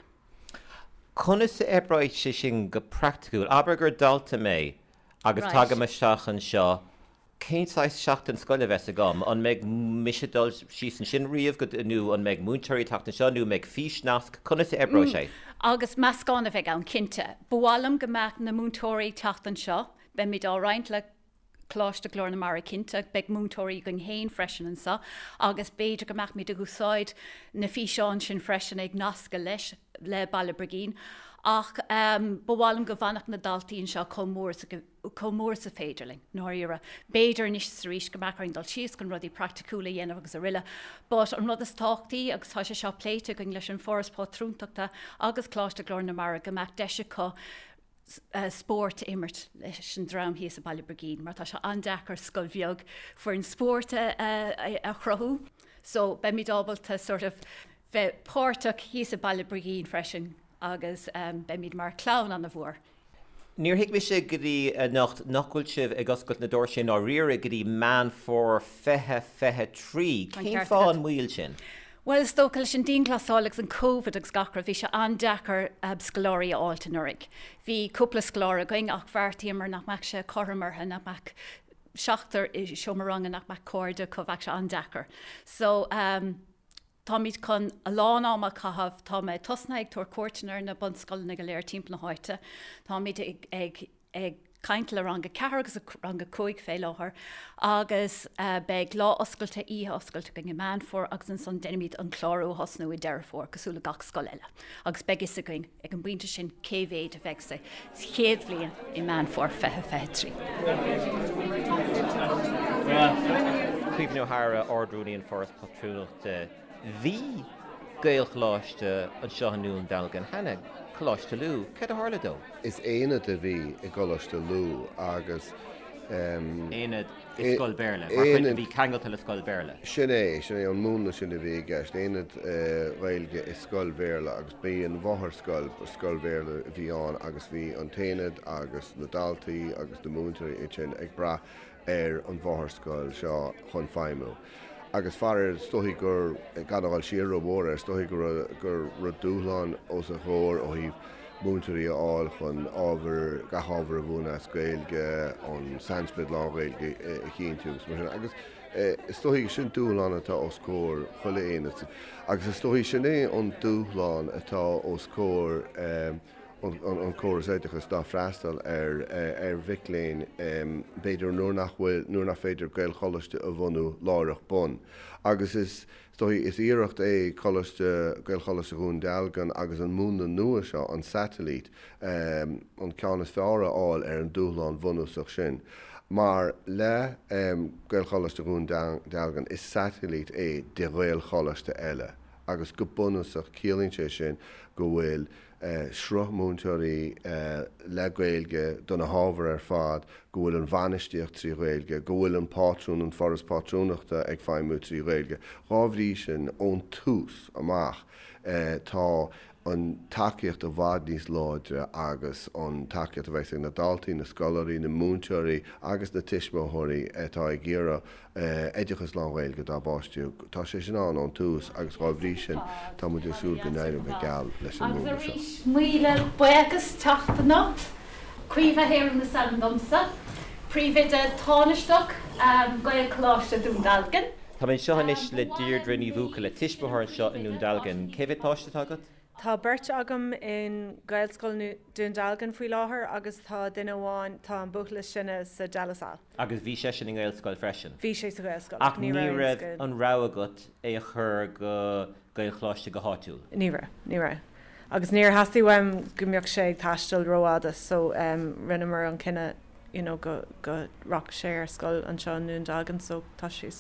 Conas a oibreoidh sé sin go praiticiúil? Abair gur dalta mé agus tagaim isteach anseo, cén saghas seachtain scoile a bheas agam? An mbeidh mise ag dul síos ansin riamh go, nó an mbeidh múinteoirí ag teacht anseo nó an mbeidh físnasc? Conas a oibreoidh sé? Agus meascán a bheidh ann, cinnte. Ba mhaith liom go mbeadh na múinteoirí ag teacht anseo. Beimid á roinnt le Coláiste Ghlór na Mara cinnte, beidh múinteoirí againn féin freisin anseo agus b'fhéidir go mbeimid ag úsáid na físeáin sin freisin ag nascadh leis le Baile Brigín. Ach ba mhaith liom go bhfanfadh na daltaí anseo chomh mór is chomh mór is féidir linn, ndáiríre. B'fhéidir anois is arís go mbeadh orainn dul síos chun rudaí praiticiúla a dhéanamh agus araile. But an rud is tábhachtaí, agus tá sé seo pléite againn leis an Foras Pátrúntachta agus Coláiste Ghlór na Mara, go mbeadh deis acu spórt a imirt leis an dream thíos i Baile Brigín mar tá sé an-deacair scoil bheag foireann spóirt a chruthú. So beimid ábalta sort of bheith páirteach thíos i Baile Brigín freisin agus beimid mar chlann an-mhór. Níor thuig mise go dtí anocht nach bhfuil sibh ag oscailt na doirse i ndáiríre go dtí Meán Fómhair fiche fiche trí. Cén fáth an mhoill sin? Bhuel, is dócha leis an dianghlasáil agus an Covid agus gach rud, bhí sé an-deacair scoláirí a fháilt anuraidh. Bhí cúpla scoláire againn ach bheartaíomar nach mbeadh sé cothrom orthu, nach mbeadh seachtar i seomra ranga, nach mbeadh cairde acu, bheadh sé an-deacair. So, táimid chun a lán ama a chaitheamh, tá mé tosnaithe ag tabhairt cuairteanna ar na bunscoileanna go léir timpeall na háite, táimid ag, ag, ag caint le rang a ceathair agus rang a cúig fé láthair agus beidh lá oscailte, oíche oscailte againn i Meán Fómhair agus ansan déanfaimid an clárú a thosnú i Deireadh Fómhair cosúil le gach scoil eile agus beidh fhios againn ag an bpointe sin cé mhéid a bheidh sa chéad bhliain i Meán Fómhair fiche fiche trí. Caoimhín Ó hEadhra, Ard-Rúnaí an Foras Pátrúnachta. Bhí Gaelcholáiste anseo i nDún Dealgan cheana, Coláiste Lú. Céard a tharla dó? Is aonad a bhí i gColáiste Lú agus. Aonad i scoil Béarla, mar chuid a bhí ceangailte le scoil Béarla. Sin é, sin é an múnla sin a bhí i gceist, aonad Ghaeilge i scoil Bhéarla agus b'í an mháthair-scoil, scoil Bhéarla a bhí ann agus bhí an t-aonad agus na daltaí agus na múinteoirí ansin ag brath ar an mháthair-scoil seo chun feidhmiú. Agus faraor, is dóichí gur, gan a dhul siar rómhór air, is dóichí go raibh, go raibh dúshlán os a chomhair ó thaobh múinteoirí a fháil chun ábhar, gach ábhar a mhúineadh as Gaeilge, an sainsprid lán-Ghaeilge a chinntiú agus mar sin. Agus is dóichí sin dúshlán atá os comhair chuile aonad. Agus is dóichí sin é an dúshlán atá os comhair an córas oideachais ná freastal ar ar mhic léinn b'fhéidir nuair nach bhfuil, nuair nach féidir Gaelcholáiste a bhunú láithreach bonn. Agus is dóichí, is iarracht é Coláiste, Gaelcholáiste Dhún Dealgan agus an múnla nua seo, an satailít, an ceann is fearr a fháil ar an dúshlán bhunúsach sin. Mar le Gaelcholáiste Dhún Dealgan, is satailít é de Ghaelcholáiste eile agus go bunúsach ciallaíonn sé sin go bhfuil sruth múinteoirí le Gaeilge do na hábhair ar fad, go bhfuil an bhainistíocht trí Ghaeilge, go bhfuil an pátrún, an Foras Pátrúnachta ag feidhmiú trí Ghaeilge. Dhá bhrí sin, ón tús amach, tá an tacaíocht i bhfad níos láidre agus an tacaíocht a bheas ag na daltaí, na scoláirí, na múinteoirí agus na tuismitheoirí atá ag iarraidh oideachas lán-Ghaeilge dá bpáistí. Tá sé sin ann ón tús agus dhá bhrí sin tá muid ag súil go n-éireoidh go geal leis an Agus múnla seo. arís, míle buíochas teacht anocht. Caoimhe Heron is ainm domsa, Príomhoide Tánaisteach Gaelcholáiste Dún Dealgan. Tá mé anseo anois le Deirdre Ní Bhuachalla, tuismitheoir anseo i nDún Dealgan. Cé mhéad páiste atá agat? Tá beirt agam in Gaelscoil Dún Dealgan faoi láthair agus tá duine amháin, tá an buachaill is sine sa De La Salle. Agus bhí seisean i nGaelscoil freisin? Bhí sé sa Ghaelscoil ach ní raibh an rogha agat é a chur go Gaelcholáiste go háitiúil? Ní raibh, ní raibh. Agus níor theastaigh uaim go mbeadh sé ag taisteal rófhada so rinneamar an cinneadh you know go go rachadh sé ar scoil anseo i nDún Dealgan so tá sé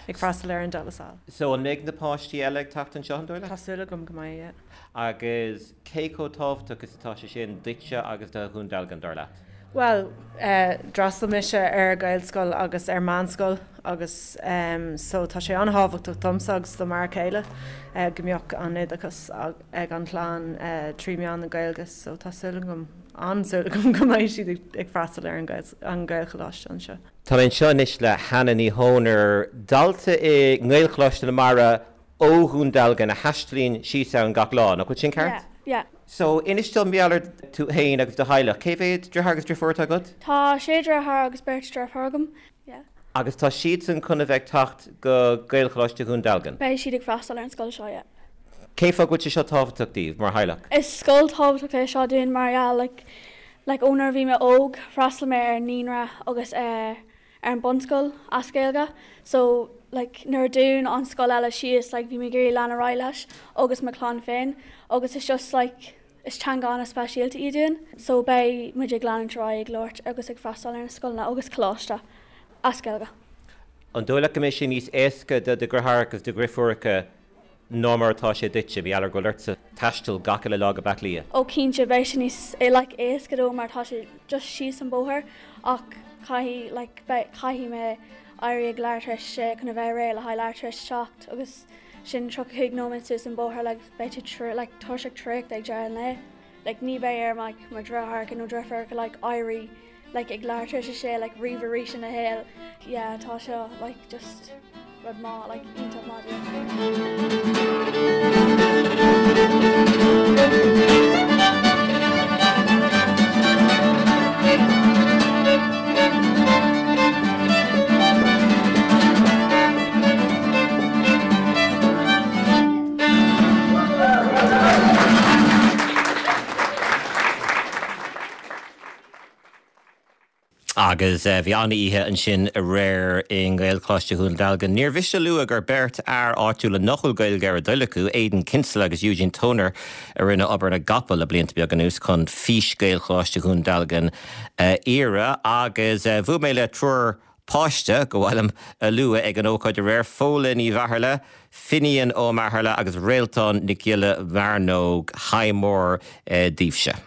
ag freastal ar an De La Salle. So an mbeidh na páistí eile ag teacht anseo an dóigh leat? Tá súil agam go mbeidh, yeah. Agus cé chomh tábhachtach is atá sé sin duitse agus do Dhún Dealgan, dar leat? Bhuel, d'fhreastail mise ar Ghaelscoil agus ar meánscoil agus so tá sé an-thábhachtach domsa agus do m'fhear céile go mbeadh an oideachas ag an chlann trí mheán na Gaeilge so tá súil agam, an-súil agam go mbeidh siad ag freastal ar an Ghaelcholáiste anseo. Tá mé anseo anois le Hannah Ní Chónair, dalta i nGaelcholáiste na Mara ó Dhún Dealgan a thaistealaíonn síos ann gach lá, nach bhfuil sin ceart? Yeah, yeah. So, inis dom mar gheall ar tú féin agus do theaghlach. Cé mhéad deartháir agus deirfiúr atá agat? Tá sé dheartháir agus beirt deirfiúr agam, yeah. Agus tá siadsan chun a bheith ag teacht go Gaelcholáiste Dhún Dealgan? Beidh siad ag freastal ar an scoil seo, yeah. Cén fáth go bhfuil sé seo tábhachtach daoibh, mar theaghlach? Is scoil tábhachtach é seo dúinn mar gheall, like, Like ó nuair a bhí mé óg, fhreastail mé ar naíonra agus ar ar an bunscoil as Gaeilge, so like nuair a dún an scoil eile síos like bhí mé ag iarraidh lean ar aghaidh leis agus mo chlann féin agus it's just like is teanga an-speisialta í dúinn, so beidh muid ag leanúint ar aghaidh ag labhairt agus ag freastal ar na scoileanna agus coláiste as Gaeilge. An dóigh leat go mbeidh sé níos éasca do do dheartháireacha agus do dheirfiúracha ná mar atá sé duitse, mar gheall ar go bhfuil ortsa taisteal gach uile lá go Bleá Cliath? Ó cinnte, beidh sé níos like éasca dóibh mar tá sé just síos an bóthar ach caithfidh like beidh caithfidh mé éirí ag leathuair tar éis a sé chun a bheith réidh le haghaidh leathuair tar éis a seacht agus sin tríocha cúig nóiméad suas an bóthar like beidh tú tr like tuirseach traochta ag deireadh an lae. Like ní bheidh ar like mo dheartháireacha nó deirfiúracha like éirí like ag leathuair tar éis a sé like riamh arís ina shaol. Yeah tá seo like just rud maith like iontach maith dúinn. Agus bhí an-oíche ansin aréir i nGaelcholáiste Dhún Dealgan. Níor mhiste a lua gur beirt fhear áitiúla nach bhfuil Gaeilge ar a dtoil acu, Aidan Kinsella agus Eugene Toner, a rinne obair na gcapall le blianta beaga anuas chun fís Ghaelcholáiste Dhún Dealgan a fhíorú. Agus bhuail mé le triúr páiste go bhfuilim a lua ag an ócáid aréir, Fódhla Ní Mheathairle, Finian Ó Meathairle agus Réaltán Nic Giolla Mhearnóg. Haigh mór daoibhse.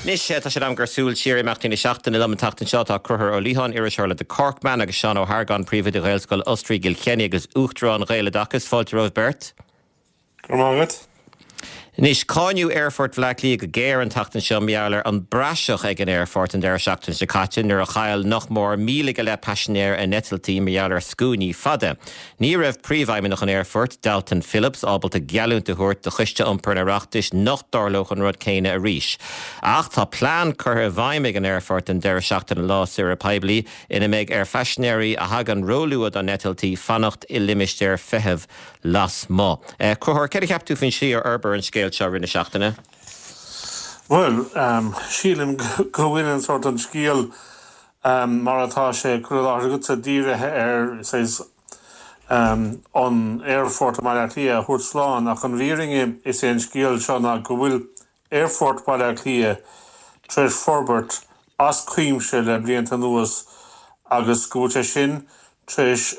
Anois tá sé in am gur súil siar imeachtaí na seachtaine liom an tseachtain seo tá Conchúr Ó Liatháin, iriseoir le The Corkman agus Seán Ó hArgáin, príomhoide Ghaelscoil Osraí i gCill Chainnigh agus Uachtarán Ghaeloideachas. Fáilte romhaibh beirt. Go raibh maith agat. Anois, cáineadh Aerfort Bhaile Átha Cliath go géar an tseachtain seo mar gheall ar an bpraiseach ag an aerfort an deireadh seachtaine seo caite nuair a chaill nach mór míle go leith paisinéir a n-eitiltí mar gheall ar scuainí fada. Ní raibh príomhfheidhmeannach an aerfoirt, Dalton Phillips, ábalta geallúint a thabhairt do Choiste Iompair an Oireachtais nach dtarlódh an rud céanna arís. Ach tá plean curtha i bhfeidhm ag an aerfort don deireadh seachtaine lá saoire poiblí ina mbeidh ar phaisinéirí a thagann róluath dá n-eitiltí fanacht i limistéir feithimh lasmuigh. Conchúr, céard a cheap tú faoin slí ar fhorbair an scéal seo i rith na seachtaine? Bhuel, sílim go bhfuil an sórt an scéal mar atá sé curtha i láthair agatsa dírithe ar saghas an aerfort i mBaile Átha Cliath a thabhairt slán ach an fhírinne is é an scéal seo ná go bhfuil aerfort Bhaile Átha Cliath tar éis forbairt as cuimse le blianta anuas agus go bhfuil sé sin tar éis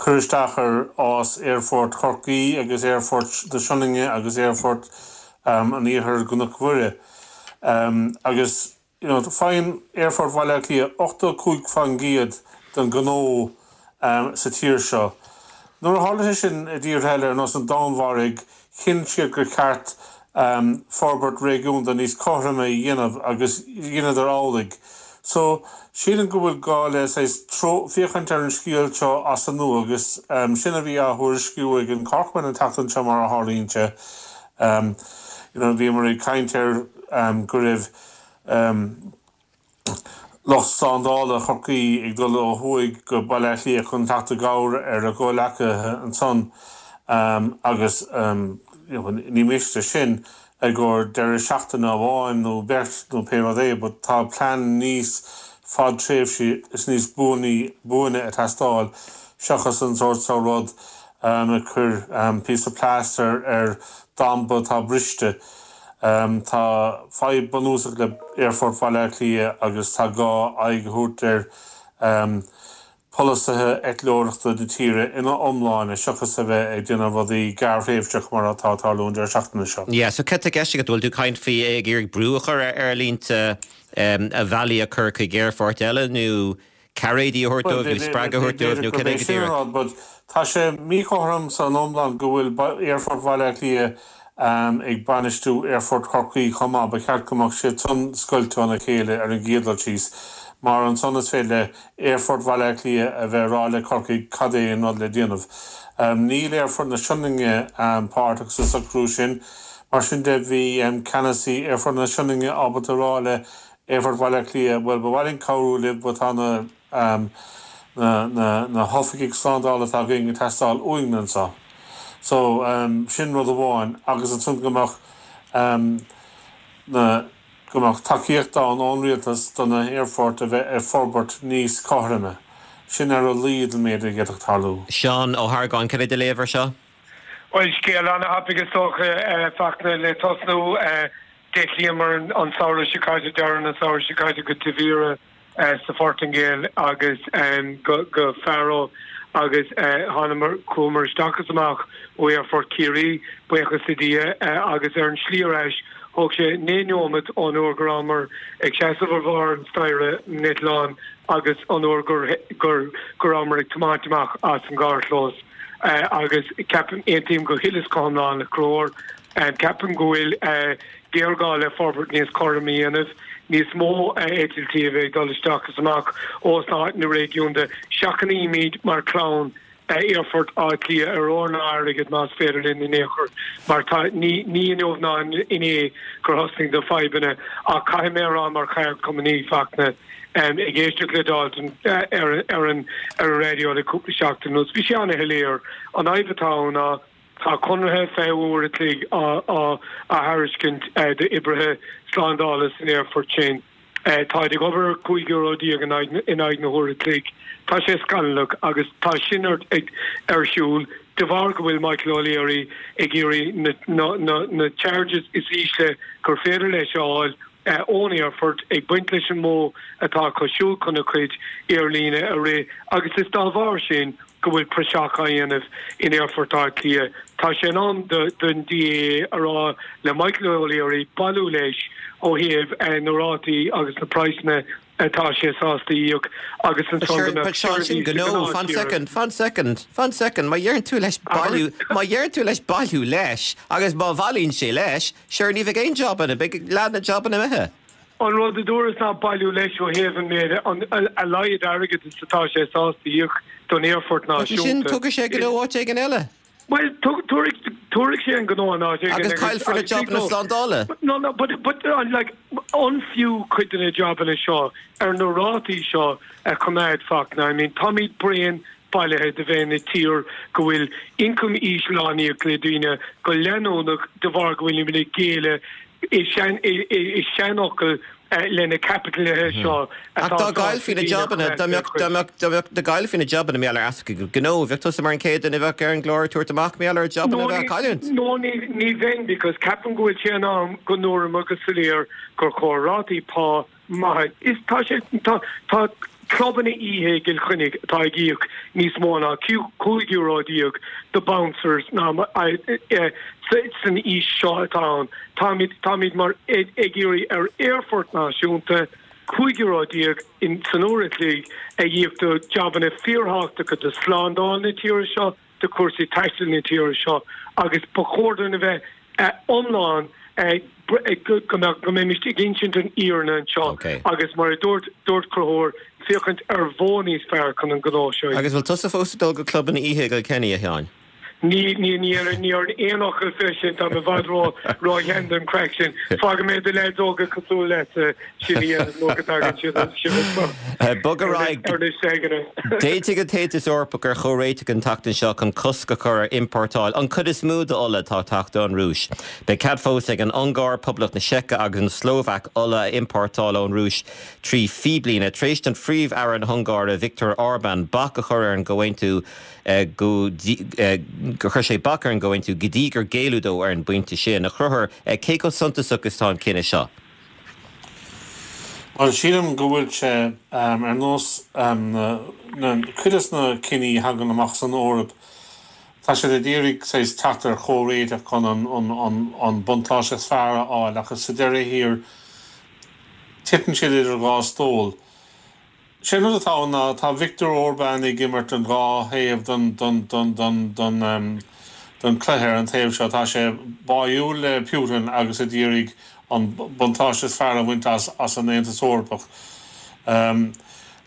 cur isteach ar fhás Aerfort Chorcaí agus Aerfort na Sionainne agus Aerfort an Iarthair i gCnoc Mhuire. Agus you know faigheann Aerfort Bhaile Átha Cliath ochtó a cúig faoin gcéad den ghnó sa tír seo. Nuair a tharla sé sin i dtíortha eile ar nós an Danmhairg, chinn siad gur cheart forbairt réigiúnda níos cothroime a dhéanamh agus dheineadar amhlaidh. So, sílim go bhfuil gá le saghas féachaint ar an scéal seo as an nua agus sin a bhí á thuairisciú ag an Corkman an tseachtain seo mar a tharlaíonn sé. You know, bhíomar ag caint ar go raibh lucht slándála Chorcaí ag dul ó thuaidh go Baile Átha Cliath chun teacht i gcabhair ar a gcomhleacaithe ansan agus ní miste sin i gcomhair deireadh seachtaine amháin nó beirt nó pé rud é but tá plean níos fadtréimhsí is níos buaine ag teastáil seachas an sórt seo rud ag cur píosa plaster ar damba atá briste. Tá fadhb bunúsach le Aerfort Bhaile Átha Cliath agus tá gá aghaidh a thabhairt ar polasaithe eitleoireachta na tíre ina iomláine seachas a bheith ag déanamh rudaí gearrthréimhseach mar atá ag tarlú an deireadh seachtaine seo. Yeah, so céard atá i gceist agat, bhfuil tú ag caint faoi ag iarraidh brú a chur ar aerlínte a bhealaí a chur chuig aerfoirt eile nó cairéidí a thabhairt dóibh nó spreagadh a thabhairt dóibh nó cad é go díreach? But tá sé míchothrom san iomlán go bhfuil Aerfort Bhaile Átha Cliath ag bainistiú Aerfort Chorcaí chomh maith. Ba cheart go mbeadh siad san scoilte óna chéile ar an gcéad dul síos, mar ansan is féidir le Aerfort Bhaile Átha Cliath a bheith ag rá le Corcaigh cad é an rud le déanamh. Níl Aerfort na Sionainne páirteach sa socrú sin. Mar sin de, bhí ceannasaí Aerfort na Sionainne ábalta a rá le Aerfort Bhaile Átha Cliath, bhuel, ba mhaith linn cabhrú libh but tá na na hoifigigh slándála atá againn ag teastáil uainn anseo. So, sin rud amháin agus ansan go mbeadh na go mbeadh tacaíocht ann ón rialtas do na haerfoirt a bheith ag forbairt níos cothroime. Sin ar a laghad an méid a d'fhéadfadh tarlú. Seán Ó hArgáin, cad é do léamh air seo? Bhuel, scéal an-thapaidh is dócha, Fachtna, le tosnú. D'eitlíomar an samhradh seo caite, deireadh an samhradh seo caite go Tavira sa Phortaingéil agus go Faro agus thánamar, chuamar isteach is amach ó Aerfort Chiarraí, buíochas le Dia, agus ar an slí ar ais thóg sé naoi neomat ón uair go rabhamar ag seasamh ar bharr an staighre an eitleáin agus an uair gur gur go rabhamar ag tiomáint amach as an gcarrchlós. Agus ceapaim, aontaím go huile is go hiomlán le Conchúr, ceapaim go bhfuil géarghá le forbairt níos cothroime a dhéanamh, níos mó eitiltí a bheith ag dul isteach is amach ós na réigiúin. Seachnaímid mar chlann Aerfort Átha Cliath ar ór ná airgead más féidir linn in aon chor mar tá ní ní inniu ná inné gur thosnaigh na fadhbanna ach caithfidh mé a rá mar cheardchumannaí Fachtna ag éisteacht le Dalton ar ar an ar an raidió le cúpla seachtain anuas bhí sé an-shoiléir an fhadhb atá ann ná tá conarthaí fiche uair a chloig á á thairiscint d'oibrithe slándála san aerfort sin. Táid ag obair ar cúig euro déag in aghaidh na huaire a chloig. Tá sé scannalach agus tá sin ar ar siúl de bharr go bhfuil Michael O'Leary ag iarraidh na na na charges is ísle gur féidir leis a fháil ón aerfort, ag baint leis an modh atá acu siúd chun a chuid aerlíne a rith agus is dá bharr sin go bhfuil praiseach á dhéanamh in Aerfort Átha Cliath. Tá sé in am don DAA a rá le Michael O'Leary bailiú leis ó thaobh na rátaí agus na praghsanna atá sé sásta íoc agus ansan go mbeadh seirbhís ag an Fan soicind, fan soicind, fan soicind, má dheireann tú leis bailiú, má dheireann tú leis bailiú leis agus má bhailíonn sé leis, sure ní bheidh aon jobanna, beidh leath na jobanna imithe. An rud a dúras ná bailiú leis ó thaobh an méid, a laghad airgid is atá sé sásta íoc don aerfort náisiúnta. Sin, tógfaidh sé gnó áit éigin eile. Bhuel, tabharfaidh sé an gnó in áit éigin. Agus caillfear na jabanna slándála. No, no, but, but, like, an fiú cuid de na jabanna seo ar na rátaí seo a choimeád, Fachtna? I mean, táimid bréan bailithe de bheith ina tír go bhfuil ioncam íseal á n-íoc le daoine go leanúnach de bharr go bhfuilimid ag géilleadh i seanfhocal le na caipitlithe seo Ach atá dá sásta gcaillfí na daoine a jabanna, dá choimeád mbeadh, faoi dá mbeadh, dá mbeadh, dá gcaillfí na jabanna mar gheall ar easpa gnó, bheadh tusa mar an chéad duine a bheadh ar an gclár ag tabhairt amach mar gheall ar jabanna No a bheith á ní, cailliúint. no ní, ní bheinn because ceapaim go bhfuil sé in am go ndúramar go soiléir gur chóir rátaí pá maithe. Is tá sé, tá, tá clubanna oíche i gCill Chainnigh atá ag íoc níos mó ná cúig euro déag do bouncers ná san aois seo atá ann. Táimid, táimid mar ag iarraidh ar aerfort náisiúnta cúig euro déag in san uair a chloig a íoc do jabanna fíorthábhachtacha do slándáil na tíre seo, do chúrsaí taistil na tíre seo agus ba chóir dúinn a bheith iomlán go mbeadh, go mbeimis ag insint an fhírinne anseo agus mar a dúirt, dúirt Conchúr, féachaint ar mhodh níos fearr chun an gnó seo a Agus bhfuil tusa fós ag dul go clubanna oíche i gCilkenny, a Sheáin? Ní, ní, ní, ní aon fhocal fé sin, táim i bhfad ró, ró-shean don chraic sin. Fágfaidh mé do leaids óga cosúil leatsa sin a dhéanamh nó go dtagann siad sibh Bog ar aghaidh. ar na seigeanna. D'aontaigh an tAontas Eorpach ar chomhréiteach an tseachtain seo chun cosc a chur ar iompórtáil an chuid is mó d'ola atá ag teacht ón Rúis. Beidh cead fós ag an Ungáir, Poblacht na Seice agus an tSlóvaic ola a iompórtáil ón Rúis trí phíblíne. Tar éis don Phríomh-Aire na hUngáire Viktor Orbán bac a chur ar an gcomhaontú go gur chuir sé bac ar an gcomhaontú go dtí gur géilleadh dó ar an bpointe sin. A Chonchúir, cé chomh suntasach is atá an cinneadh seo? Bhuel, sílim go bhfuil sé ar nós na cuid de na cinní a thagann amach san Eoraip, tá siad ag iarraidh saghas teacht ar chomhréiteach chun an buntáiste is fearr a fháil ach sa deireadh thiar titeann siad idir dhá stól. Sé an rud atá ann ná tá Viktor Orbán ag imirt an dhá thaobh den den chluiche ar an taobh seo. Tá sé báúil le Putin agus ag iarraidh an buntáiste is fearr a bhaint as as an Aontas Eorpach.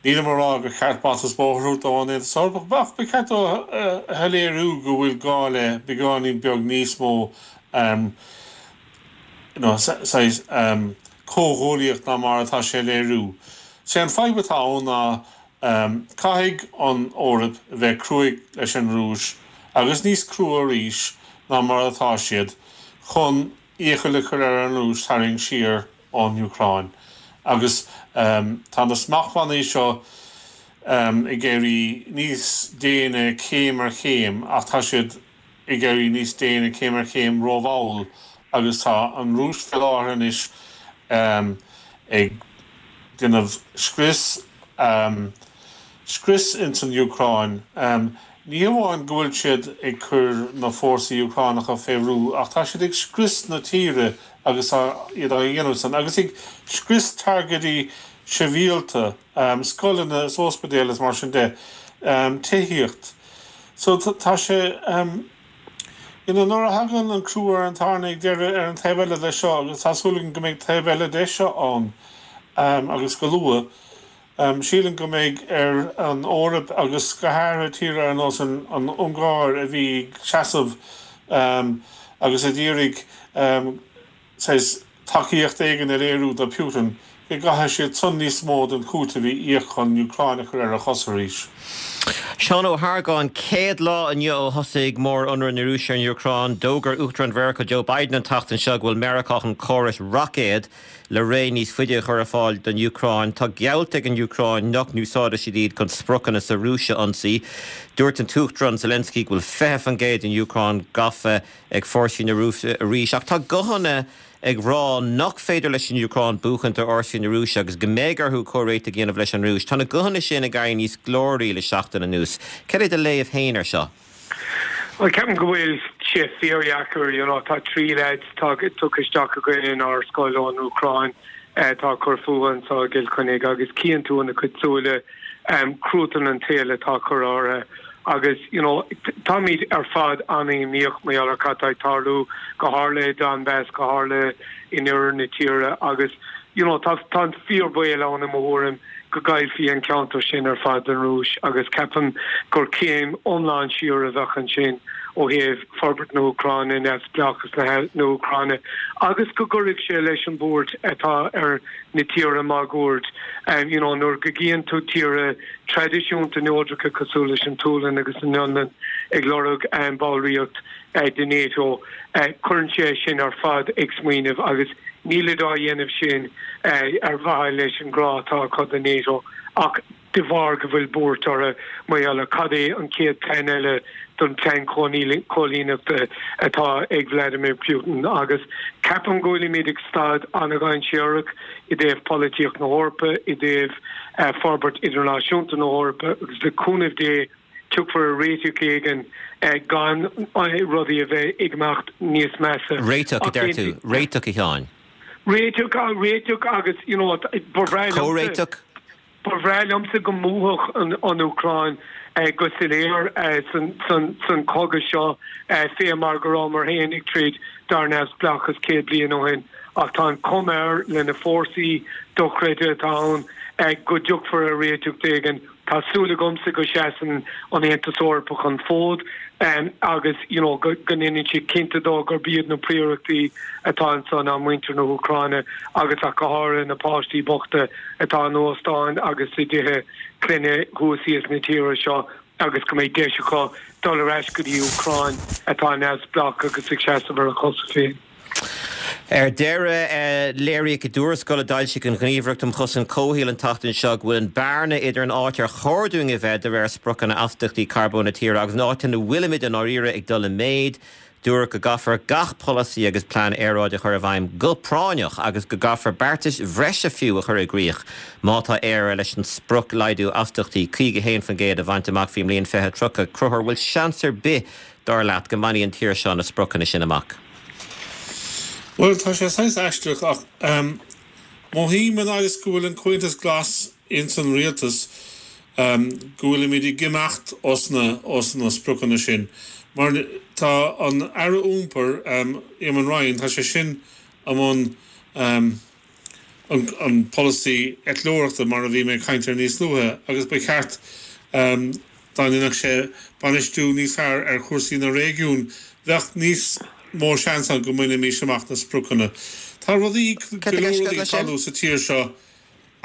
Nílim ag rá gur cheart bata is bóthar a thabhairt dó ón Aontas Eorpach ach ba cheart dó a shoiléiriú go bhfuil gá le beagáinín beag níos mó you know, saghas comhghuaillíocht ná mar atá sé ag léiriú. Sé an fadhb atá ann ná caithfidh an Eoraip a bheith cruaidh leis an Rúis agus níos crua arís ná mar atá siad chun iachall a chur ar an Rúis tarraingt siar ón Úcráin. Agus tá na smachtbhannaí seo ag éirí níos déine céim ar chéim ach tá siad ag éirí níos déine céim ar chéim rómhall agus tá an Rúis faoi láthair anois ag déanamh scrios scrios ins an Úcráin. Ní hamháin go bhfuil siad ag cur na fórsaí Úcránacha fé bhrú ach tá siad ag scrios na tíre agus iad á dhéanamh san agus ag scrios targaidí sibhialta, scoileanna is ospidéil is mar sin de, tithíocht. So tá sé you know nuair a thagann an crú ar an tairne ag deireadh ar an taobh eile de seo agus tá súil agam go mbeidh taobh eile de seo ann agus go luath, sílim go mbeidh ar an Eoraip agus go háirithe tíortha ar nós an Ungáir a bhí ag seasamh agus a d'iarraidh saghas tacaíocht éigin a léiriú do Putin, go gcaithfidh siad san níos mó den chúiteamh a íoc chun an Úcráin a chur ar a cosa arís. Seán Ó hArgáin, céad lá inniu ó thosaigh mór-ionradh na Rúise ar an Úcráin, d'fhógair Uachtarán Mheiriceá Joe Biden an tseachtain seo go bhfuil Meiriceá chun córais roicéad le ré níos faide a chur ar fáil don Úcráin. Tá geallta ag an Úcráin nach n-úsáidfidh siad iad chun spriocanna sa Rúis a ionsaí. Dúirt an tUachtarán Zelensky go bhfuil fiche faoin gcéad den Úcráin gafa ag fórsaí na Rúise arís. Ach tá guthanna ag rá nach féidir leis an Úcráin buachaint ar fhórsaí na Rúise agus go mbeidh orthu comhréiteach a dhéanamh leis an Rúis. Tá na guthanna sin ag éirí níos glóraí le seachtain anuas. Cad é do léamh féin air seo? Bhuel, ceapaim go bhfuil sé fíordheacair, you know, tá trí leaids tugtha isteach againn inár scoil ón Úcráin atá ag cur fúthu anseo i gCill Chainnigh agus cíonn tú ina gcuid súile cruatan an tsaoil atá curtha orthu agus you know táimid ar fad an-imníoch mar gheall ar cad tá ag tarlú, go háirithe i Donbass, go háirithe in oirthear na tíre agus you know tá tá an fíorbhaol ann i mo thuairim go gcaillfí an ceantar sin ar fad don Rúis agus ceapaim gur céim iomlán siar a bheadh ansin ó thaobh forbairt na hÚcráine, neamhspleáchas na hÚcráine agus go gcuirfeadh sé leis an bhuairt atá ar na tíortha máguaird. You know, nuair go gcíonn tú tíortha traidisiúnta neodracha cosúil leis an tSualainn agus an Fhionlainn ag lorg ballraíocht de NATO, cuireann sé sin ar fad ag smaoineamh agus nílid á dhéanamh sin ar mhaithe leis an ngrá atá acu do NATO ach de bharr go bhfuil buairt orthu mar gheall ar cad é an chéad plean eile don phlean cóilíneachta atá ag Vladimir Putin agus ceapaim go bhfuilimid ag staid an-dhainséarach i dtaobh polaitíocht na hEorpa, i dtaobh forbairt idirnáisiúnta na hEorpa agus le cúnamh Dé tiocfar ar réiteach éigin gan rudaí a bheith ag imeacht níos measa. Réiteach, a deir tú. Réiteach, a Sheáin. Réiteach, réiteach agus you know ba bhreá liomsa. Comhréiteach? Ba bhreá liomsa go mbuafadh an Úcráin go soiléir san chogadh seo fé mar go rabhamar féin ag troid dár neamhspleáchas céad bliain ó shin ach tá an chuma air le na fórsaí dochreidte atá ann go dtiocfar ar réiteach éigin. Tá súil agamsa go seasann an Aontas Eorpach an fód agus you know go ndéanann siad cinnte dó gurb iad na príorachtaí atá anso ná muintir na hÚcráine agus ach go háirithe na páistí bochta atá in óstáin agus i dtithe clainne thuas thíos na tíre seo agus go mbeidh deis acu dul ar ais go dtí Úcráin atá neamhspleách agus ag seasamh ar a cosa féin. Ar deireadh, léiríodh i dtuarascáil a d'fhoilsigh an Ghníomhaireacht um Chosaint Comhshaoil an tseachtain seo go bhfuil an bearna idir an áit ar chóir dúinn a bheith de réir spriocanna astaíochtaí carbóin na tíre agus an áit ina bhfuilimid i ndáiríre ag dul i méid. Dúradh go gcaithfear gach polasaí agus plean aeráide a chur i bhfeidhm go práinneach agus go gcaithfear beartais bhreise fiú a chur i gcrích má tá Éire leis an sprioc laghdú astaíochtaí caoga a haon faoin gcéad a bhaint amach faoin mbliain fiche tríocha. Conchúr, bhfuil seans ar bith, dar leat, go mbainfidh an tír seo na spriocanna sin amach? Bhuel, tá sé saghas aisteach ach mothaím an fhad is go bhfuil an Comhaontas Glas ins an rialtas go bhfuilimid ag imeacht os na os na spriocanna sin mar tá an Aire Iompair, Eamon Ryan, tá sé sin i mbun an polasaí eitleoireachta mar a bhí mé ag caint air níos luaithe agus ba cheart dá ndéanfadh sé bainistiú níos fearr ar chúrsaí na réigiún bheadh níos mó seans ann go mbainfimis amach na spriocanna. Tá rudaí, go leor rudaí ag tarlú sa tír seo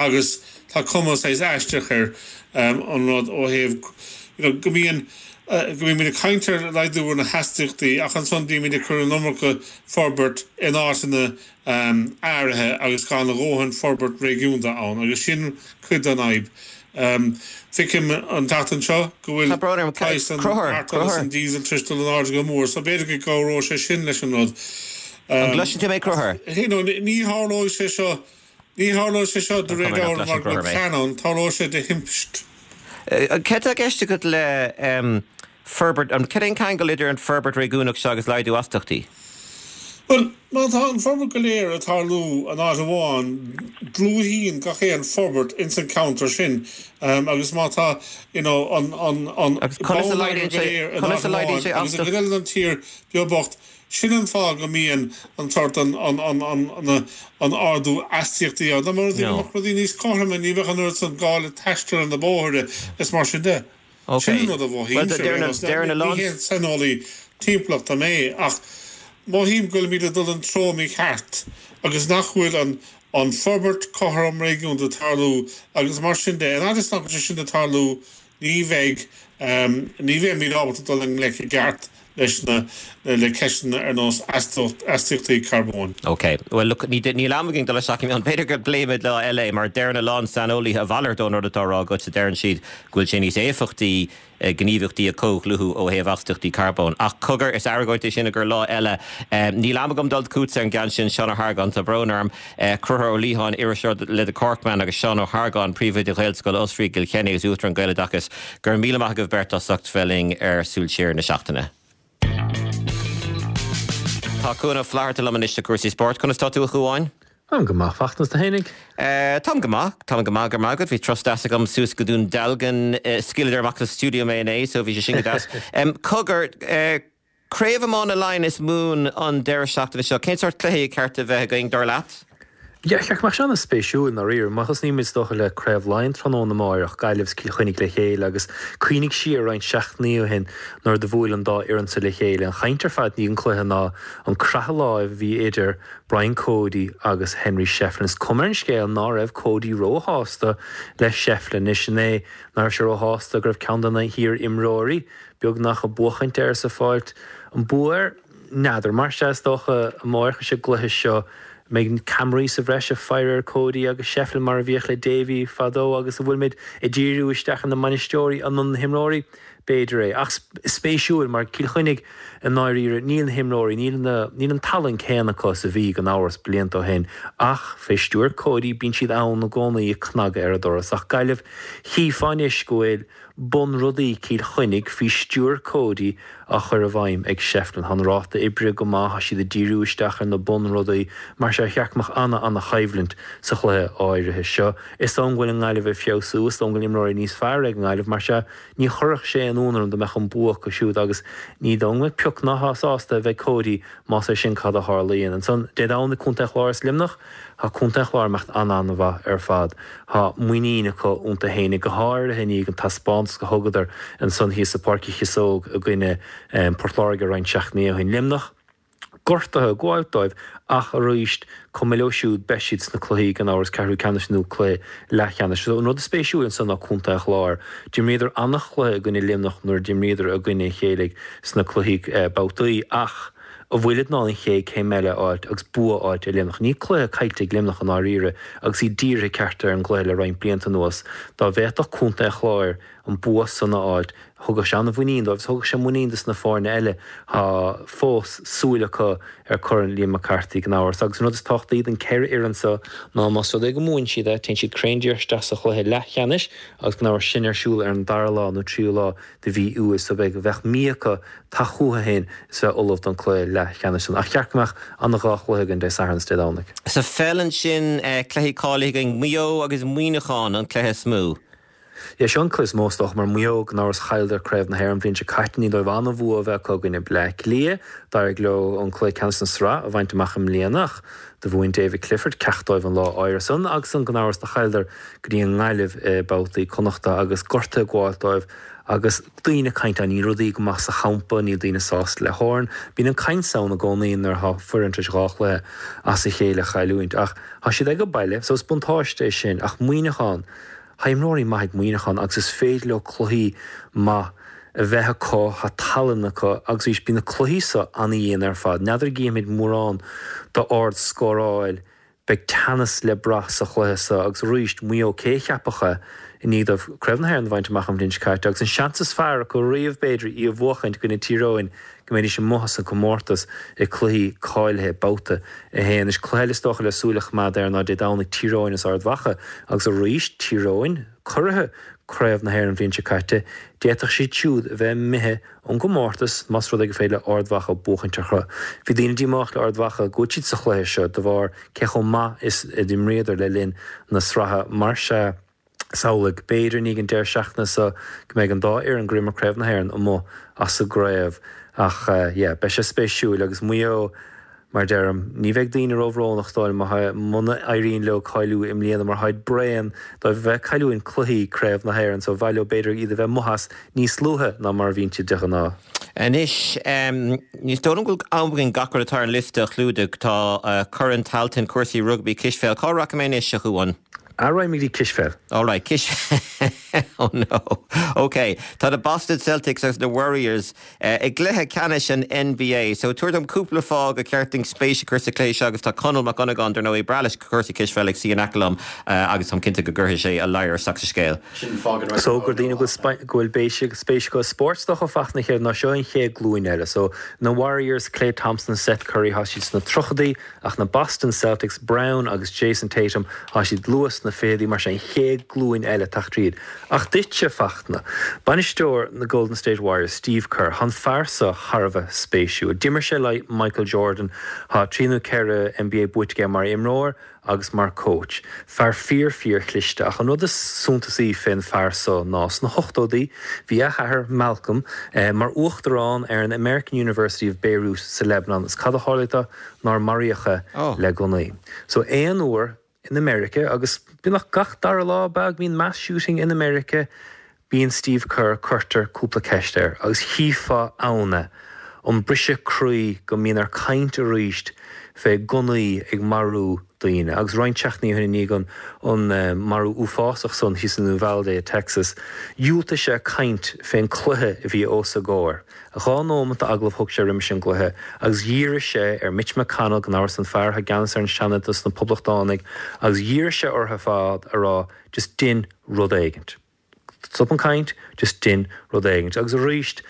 agus tá cuma saghas aisteach ar an rud ó thaobh you know go mbíonn go mbímid ag caint ar laghdú ar na hastaíochtaí ach ansan bímid ag cur an iomarca forbairt in áiteanna áirithe agus gan a dhóthain forbairt réigiúnda ann agus sin cuid den fhadhb. Feicim an tseachtain seo go bhfuil praghas an petrol agus an diesel tar éis dul in airde go mór so b'fhéidir go gcabhróidh sé sin leis an rud. An gcloiseann tú mé Conchúr? Ní tharlóidh sé seo Ní tharlóidh sé seo de réir dealraimh mar go bhfuil plean ann, tarlóidh sé de thimpist. Cad tá i gceist agat le forbairt, cad é an ceangal idir an forbairt réigiúnach seo agus laghdú astaíochtaí? Bhuel, má tá an forbairt go léir ag tarlú in áit amháin, dlúthaíonn gach aon forbairt ins an ceantar sin agus má tá you know an an an Agus conas a laghdaíonn go sé, léir in conas áit a laghdaíonn amháin sé agus i astaíocht? gcuid eile den tír beag bocht, Sin an fáth go mbíonn an sórt an an ardú astaíochtaí ann. Dá mba rud é go mbeadh rudaí níos cothroime ní bheadh an oiread san gá le taisteal ar na bóithre is mar sin de. Sin an rud a mhothaímse ar aon nós. Ní haon saineolaí timpeallachta mé ach mothaím go bhfuilimid ag dul an treo mícheart agus nach bhfuil an an forbairt cothrom réigiúnda ag tarlú agus mar sin de. An fhad is nach bhfuil sé sin ag tarlú ní bheidh ní bheimid ábalta dul i ngleic i gceart leis na le ceisteanna ar nós astaíochtaí carbóin. Ok. Bhuel, look, ní níl am againn dul isteach i mion. B'fhéidir go bpléimid lá eile é, mar deireann a lán saineolaithe a mhalairt ón rud atá á rá agatsa, deireann siad go bhfuil sé níos éifeachtaí gníomhaíochtaí a chomhdhlúthú ó thaobh astaíochtaí carbóin. Ach cogar, is argóint é sin i gcomhair lá eile. Níl am agam dul chugatsa ar an gceann sin, Seán Ó hArgáin, tá brón orm. Conchúr Ó Liatháin, iriseoir le The Corkman agus Seán Ó hArgáin, Príomhoide Ghaelscoil Osraí i gCill Chainnigh agus Uachtarán Gaeloideachas. Go raibh míle maith agaibh beirt as ucht bheith linn ar Súil Siar na Seachtaine. Tá Cuan Ó Flatharta liom anois do chúrsaí spóirt. Conas tá tú a Chuáin? Táim go maith, Fachtna, is tú fhéinig? Táim go maith, táim go maith, go raibh maith agat. Bhí turas deas agam suas go Dún Dealgan, scaoileadar amach as stiúideo mé inné, so bhí sé sin go deas. Cogar, Craobh Iomána Laighean is Mumhan an deireadh seachtaine seo, cén sórt cluichí ar cheart a bheith againn, dar leat? Yeah, cheart go mbeadh sé an-spéisiúil, i ndáiríre. Má thosnaímid is dócha le Craobh Laighean tráthnóna amáireach, Gaillimh is Cill Chainnigh le chéile agus cuimhnigh siar roinnt seachtainí ó shin nuair do bhuail an dá fhoireann sa le chéile. An chaint ar fad i ndiaidh an chluiche ná an croitheadh láimh a bhí idir Brian Cody agus Henry Shefflin. Is cuma ar an scéal ná raibh Cody róshásta le Shefflin. Anois an é ná raibh sé róshásta go raibh ceann de na hiar-imreoirí beagnach ag buachaint air is ag fáilt an bua air? N'fheadar. Mar sea, is dócha amáireach sa gcluiche seo an mbeidh ceamaraí sa bhreis ag faire ar Cody agus Shefflin mar a bhíodh le Davy fadó agus an bhfuilimid ag díriú isteach ar na bainisteoirí nó na himreoirí? B'fhéidir é. Ach spéisiúil mar Cill Chainnigh i ndáiríre níl na himreoirí, níl na, níl an tallann céanna acu is a bhí gan amhras blianta ó shin ach fé stiúir Cody bíonn siad ann i gcónaí ag cnagadh ar an doras. Ach Gaillimh, chífeá anois go bhfuil bunrudaí Chill Chainnigh faoi stiúir Cody á chur i bhfeidhm ag Shefflin. Tá an ráta oibre go maith, tá siad ag díriú isteach ar na bunrudaí, mar sea cheart go mbeadh ana-ana-choimhlint sa chluiche áirithe seo. Is dóigh go bhfuil an Ghaillimh ag feabhsú, is dóigh go bhfuil imreoirí níos fearr ag an nGaillimh, mar sea ní chuirfeadh sé aon ionadh orm dá mbeadh an bua acu siúd agus ní dóigh go mbeadh pioc ná sásta a bheidh Cody más é sin cad a tharlaíonn. Ansan, Dé Domhnaigh, Contae an Chláir is Luimneach. Tá Contae an Chláir ag imeacht an-an-mhaith ar fad. Tá muinín acu iontu fhéinig, go háirithe i ndiaidh an taispeántas go thugadar ansan thíos i Páirc Uí Chíosóg i gcoinne Port Láirge roinnt seachtainí ó shin. Luimneach gortaithe ag gabháilt dóibh ach arís, cuma leo siúd, beidh siad sna cluichí gan amhras, ceathrú ceannais nó cluiche leathcheannais. So an rud is spéisiúil ansan ná Contae an Chláir. D'imríodar an-chluiche i gcoinne Luimneach nuair a d'imríodar i gcoinne a chéile sna cluichí babhtaí ach, an bhfuilid in ann an chéad céim eile a fháilt agus bua a fháilt ar Luimneach. Níl cluiche caillte ag Luimneach i ndáiríre agus iad dírithe ceart ar an gcluiche le roinnt blianta anuas. Dá bhféadfadh Contae an Chláir an bua san a fháilt, thugadh sé an-mhuinín dóibh agus thugadh sé muinín dos na foirne eile. Tá fós súil acu ar Chorn Liam McCarthy gan amhras. Agus an rud is tábhachtaí don ceithre fhoireann seo ná más rud é go mbuann siad é, téann siad cruinn díreach isteach sa chluiche leathcheannais agus gan amhras sin ar siúl ar an dara lá nó tríú lá de mhí Iúil so beidh bheadh mí acu teacht chucu féin is bheith ullamh don chluiche leathcheannais san. Ach cheart go mbeadh ana dhá chluiche againn Dé Sathairn is Dé Domhnaigh. Sa pheil ansin, cluichí cáilithe againn, Maigh Eo agus Muineachán an cluiche is mó. Yeah, seo an cluiche is mó is dócha mar Maigh Eo gan amhras chailleadar Craobh na hÉireann an bhliain seo caite i ndiaidh dóibh an-bhua a bheith acu i gcoinne Bleá Cliath. D'éirigh leo an cluiche ceannais na sraith a bhaint amach i mbliana ach do mhúin David Clifford ceacht dóibh an lá áirithe san agus an gan amhras do chailleadar go dtí an nGaillimh i babhtaí Connachta agus gortuithe ag gabháilt dóibh agus daoine ag caint, níl rudaí go maith sa champa, níl daoine sásta le foireann. Bíonn an caint ann i gcónaí nuair atá foireann tar éis dhá chluiche as a chéile a chailliúint ach tá siad ag baile so is buntáiste é sin ach Muineachán, tá imreoirí maith ag Muineachán agus is féidir leo cluichí maith a bheith acu, tá tallann acu agus arís bíonn na cluichí seo ana-dhian ar fad. N'fheadar an gcífimid mórán d'ardscóráil, beidh teannas le brath sa chluiche seo agus arís Maigh Eo cé a cheapfadh é i ndiaidh dóibh Craobh na hÉireann a bhaint amach an bhliain seo caite agus an seans is fearr acu riamh b'fhéidir í a bhuachaint i gcoinne Tír Eoghain go mbeidís amuigh as an gcomórtas i cluichí cáilithe babhta a haon. Is cluiche eile is dócha le súil a choimeád air ná Dé Domhnaigh Tír Eoghain is Ard Mhacha agus arís Tír Eoghain curaithe Craobh na hÉireann an bhliain seo caite, d'fhéadfadh siad siúd a bheith imithe ón gcomórtas más rud é gur féidir le Ard Mhacha buachaint orthu. Bhí daoine díomách le Ard Mhacha go bhfuil siad sa chluiche seo de bharr cé chomh maith is a d'imríodar le linn na sraithe. Mar sea, samhlaigh, b'fhéidir i ndiaidh an deireadh seachtaine seo go mbeidh an dá fhoireann gur imir Craobh na hÉireann amuigh as an gcraobh. Ach yeah, beidh sé spéisiúil agus Maigh Eo, Mar a deirim, ní bheidh daoine róbhrónach is dóigh liom muna éiríonn leo cáiliú i mbliana mar táid bréan de bheith ag cailliúint cluichí Craobh na hÉireann so ba mhaith leo b'fhéidir iad a bheith amuigh as níos luaithe ná mar a bhíonn siad de ghnáth. Anois, ní dóigh liom go bhfuil am againn gach rud atá ar an liosta a chlúdach. Tá Corn Tailteann, cúrsaí rugbaí, cispheil. Cá rachaidh mé anois, a Chuáin? Raghaimid go dtí cispheil. All right, cispheil. Oh no. Ok. Tá na Boston Celtics agus na Warriors i gcluiche ceannais an NBA. So tabhair dom cúpla fáth gur ceart dúinn spéis a chur sa chluiche seo agus tá Conall Mac Dhonnagáin, dar ndóigh, breá leis cúrsaí cispheile ag suí in aice liom agus táim cinnte go gcuirfidh sé a ladhar isteach sa scéal. Sin fáth go raibh So gur daoine go bhfuil spéis acu i spórt is dócha Fachtna chéad ná seo an chéad glúin eile. So na Warriors, Klay Thompson, Seth Curry, tá siad sna tríochaidí ach na Boston Celtics, Brown agus Jayson Tatum, tá siad luath sna fichidí, mar sin an chéad glúin eile ag teacht tríd. Ach duitse, Fachtna, bainisteoir na Golden State Warriors, Steve Kerr, tá an fear seo thar a bheith spéisiúil. D'imir sé le Michael Jordan, tá trí nó ceithre NBA buaite aige mar imreoir agus mar coach. Fear fíor fíor chliste. Ach an rud is suntasaí fén fear seo ná sna hochtóidí bhí a athair, Malcolm, mar uachtarán ar an American University of Beirut sa Lebanon is cad a tharlaigh dó nár maraíodh é le gunnaí. So aon uair in America agus beagnach gach dara lá ab ea go mbíonn mass shooting in America bíonn Steve Kerr cuirtear cúpla ceist air agus chífeá ann é an briseadh croí go mbíonn air caint arís fé gunnaí ag marú daoine agus roinnt seachtainí ó shin i ndiaidh an an marú uafásach san thíos in Uvalde i Texas dhiúltaigh sé caint fén cluiche a bhí os a gcomhair. Dhá nóimeat d'agallamh thug sé roimis an gcluiche agus dhírigh sé ar Mitch McConnell, gan amhras an fear atá i gceannas ar an Seanad dos na Poblachtánaigh, agus dhírigh sé orthu ar fad a rá just dein rud éigint. Stop an caint, just dein rud éigint. Agus arís,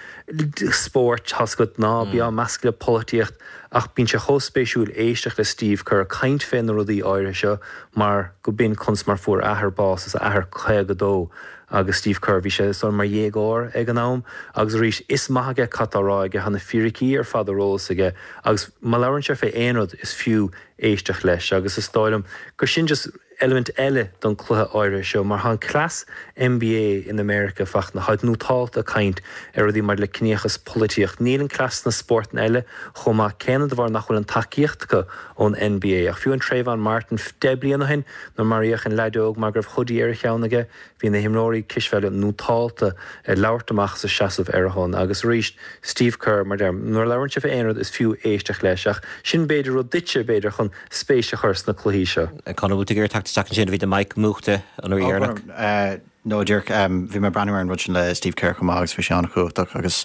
spórt, tá's agat, ná bí á meascadh le polaitíocht ach bíonn sé chomh spéisiúil éisteacht le Steve Kerr ag caint fé na rudaí áirithe seo mar go b'in conas mar fuair a athair bás, is a athair caoga dó agus Steve Kerr, bhí sé is dóigh mar dhéagóir ag an am agus arís is maith aige cad tá á rá aige, tá na fíricí ar fad ar eolas aige agus má labhrann sé fé aon rud is fiú éisteacht leis agus is dóigh liom gur sin just eilimint eile don cluiche áirithe seo mar tá an cleas NBA in America Fachtna, táid nótálta ag caint ar rudaí maidir le ciníochas, polaitíocht. Níl an cleas sna spórtanna eile chomh maith céanna de bharr nach bhfuil an tacaíocht acu ón NBA. Ach fiú an Trayvon Martin deich bliana ó shin nuair maraíodh an leaid óg mar go raibh hoodie ar a cheann aige, bhí na himreoirí cispheile nótálta ag labhairt amach is ag seasamh ar a shon. Agus arís, Steve Kerr, mar deirim, nuair a labhrann sé fé aon rud is fiú éisteacht leis. Ach sin b'fhéidir rud duitse, b'fhéidir, chun spéis a chur sna cluichí seo. Conall, bhfuil tú ag iarraidh teacht isteach ansin? Bhí do mic múchta an uair dheireanach. No, díreach, bhí mé ag breathnú ar an rud sin le Steve Kerr chomh maith agus bhí sé an-chumhachtach agus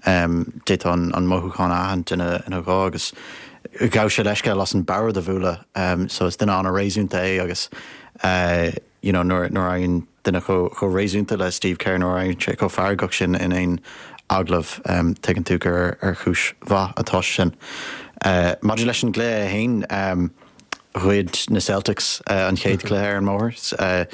d'fhéadfá an mothúchán a aithint ina ghuth agus ghabh sé leithscéal as an bord a bhualadh so is duine an-réasúnta é agus you know nuair nuair a éiríonn duine chomh réasúnta le Steve Kerr nuair a éiríonn sé chomh feargach sin in aon agallamh tuigeann tú gur ar chúis mhaith atá sé sin. Maidir leis an gcluiche féin, ghoid na Celtics an chéad chluiche ar an mbóthar,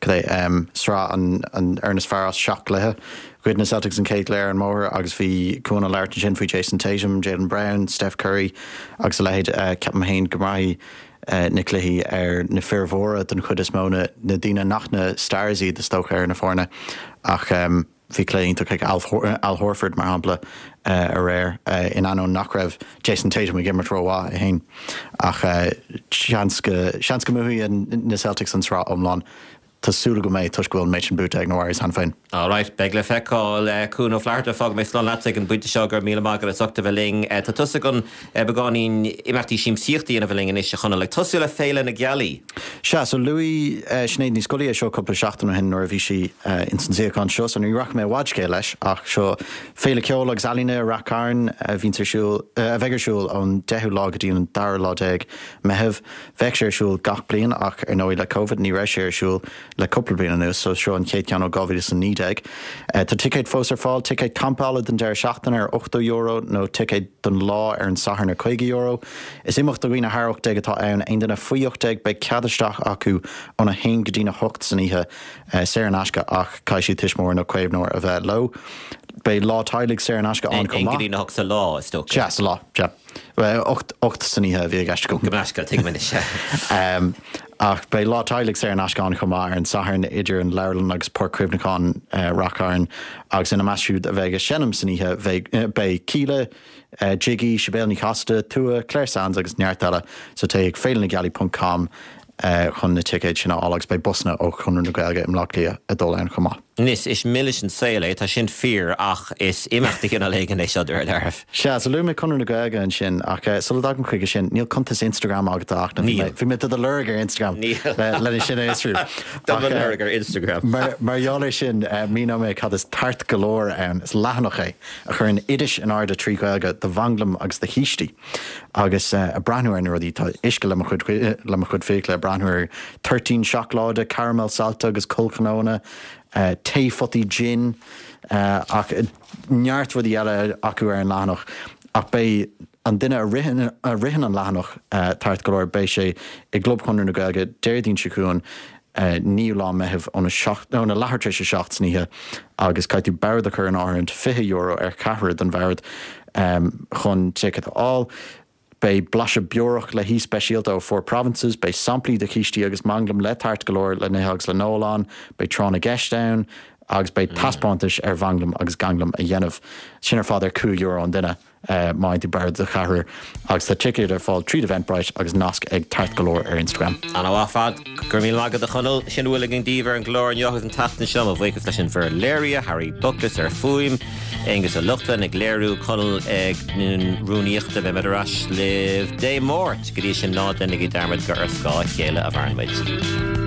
cad é, sraith an fhoireann is fearr as seacht gcluiche. Ghoid na Celtics an chéad chluiche ar an mbóthar agus bhí Cuan ag labhairt ansin faoi Jayson Tatum, Jaylen Brown, Steph Curry agus a leithéid. Ceapaim féin go mbraithfidh na cluichí ar na fir mhóra den chuid is mó, na daoine nach na stars iad is dócha ar na foirne ach bhí cluiche iontach ag Al Horford mar shampla aréir in ainneoin nach raibh Jayson Tatum ag imirt rómhaith é féin ach seans go seans go mbuafaidh na Celtics an tsraith iomlán. Tá súil agam é toisc go bhfuil an méid sin buaite ag na Warriors cheana féin. All right, beidh le feiceáil Cuan Ó Flatharta fágfaidh mé slán leat ag an bpointe seo go raibh míle maith agat as ucht a bheith linn. Tá tusa chun beagáinín imeachtaí siamsaíochta a bheith linn anois a Chonaill, ag tosú le Féile na Gealaí. Sea, so luaigh Sinéad Ní Scolaí é seo cúpla seachtain ó shin nuair a bhí sí ins an suíochán seo, so ní rachaidh mé i bhfad scéil leis ach seo Féile Ceoil agus Ealaíne i Rath Cairn a bhíonns ar siúl, a bheidh ar siúl ón deichiú lá go dtí an dara lá déag Meitheamh. Bheadh sé ar siúl gach bliain ach ar ndóigh le Covid ní raibh sé ar siúl le cúpla bliain anuas, so seo an chéad cheann ó dhá mhíle is a naoi déag. Tá ticéid fós ar fáil, ticéid campála don deireadh seachtaine ar ochtó euro nó ticéid don lá ar an Satharn ar caoga euro. Is imeacht do dhaoine thar ocht déag atá ann, aon duine faoi ocht déag beidh cead isteach acu óna haon go dtína hocht san oíche, saor in aisce ach caithfidh siad tuismitheoir nó caomhnóir a bheith leo. Beidh lá teaghlaigh saor in aisce ann chomh maith. Aon go dtí na hocht sa lá, is dócha. Sea, sa lá, sea. Ocht, ocht san oíche a bhí i gceist agam. Gabh mo leithscéal, tuigim anois, sea. Ach beidh lá teaghlaigh saor in aisce ann chomh maith ar an Satharn idir an Leabharlann agus Páirc Chuimhneacháin Rath Cairn agus ina measc siúd a bheidh ag seinm san oíche bheidh, beidh Kíla, Jiggy, Sibéal Ní Chasaide, Tua, Clare Sands agus neart eile. So téigh ag féilenagealaí ponc com chun na ticéid sin a fháil agus beidh busanna ó Chonradh na Gaeilge i mBleá Cliath ag dul ann chomh maith. Anois, is milis an saol é, tá sin fíor, ach is imeacht de chineál éigin é seo de réir dealraimh. Sea, so luaigh mé Conradh na Gaeilge ansin, ach sula dtagaim chuige sin, níl cuntas Instagram agat a Fhachtna. Níl. Bhí mé do do lorg ar Instagram Níl. le sin a fhiosrú. Do mo lorg ar Instagram. Mar mar gheall air sin, míneoidh mé cad is Tart go Leor ann. Is leathanach é a chuireann oidis in airde trí Ghaeilge do mhanglaim agus do chístí. Agus ag breathnú ar na rudaí, tá uisce le mo chuid le mo chuid fiacla ag breathnú ar toirtín seacláide, caramal saillte agus collchnónna, tae photaí gin, ach neart rudaí eile acu ar an leathanach. Ach beidh an duine a ritheann a ritheann an leathanach Tart go Leor, beidh sé i gClub Chonradh na Gaeilge Déardaoin seo chugainn, naoú lá Meitheamh óna seacht óna leathuair tar éis a seacht san oíche agus caithfidh tú bord a chur in áirithint, fiche euro ar cheathrar don bhord chun ticéad a fháil. Beidh blaiseadh beorach le haoi speisialta ó Four Provinces, beidh samplaí de chístí agus manglaim le tart go leor le n-ithe agus le n-ól ann, beidh tráth na gceist ann agus beidh taispeántais ar mhanglaim agus ganglaim a dhéanamh. Sin ar fad ar cúig euro an duine má fhaigheann tú bord do cheathrar agus tá ticéid ar fáil tríd Eventbrite agus nasc ag Tart go Leor ar Instagram. An-mhaith ar fad. Go raibh míle maith agat a Chonaill. Sin a bhfuil againn daoibh ar an gclár inniu agus an tseachtain seo. Mo bhuíochas leis an bhfoireann léirithe, Harry Buckless ar fuaim, Aonghus Ó Lochlainn ag léiriú, Conall ag rúnaíochta. Beidh muid ar ais libh Dé Máirt. Go dtí sin ná déanaigí dearmad gur ar scáth a chéile a mhaireann muid.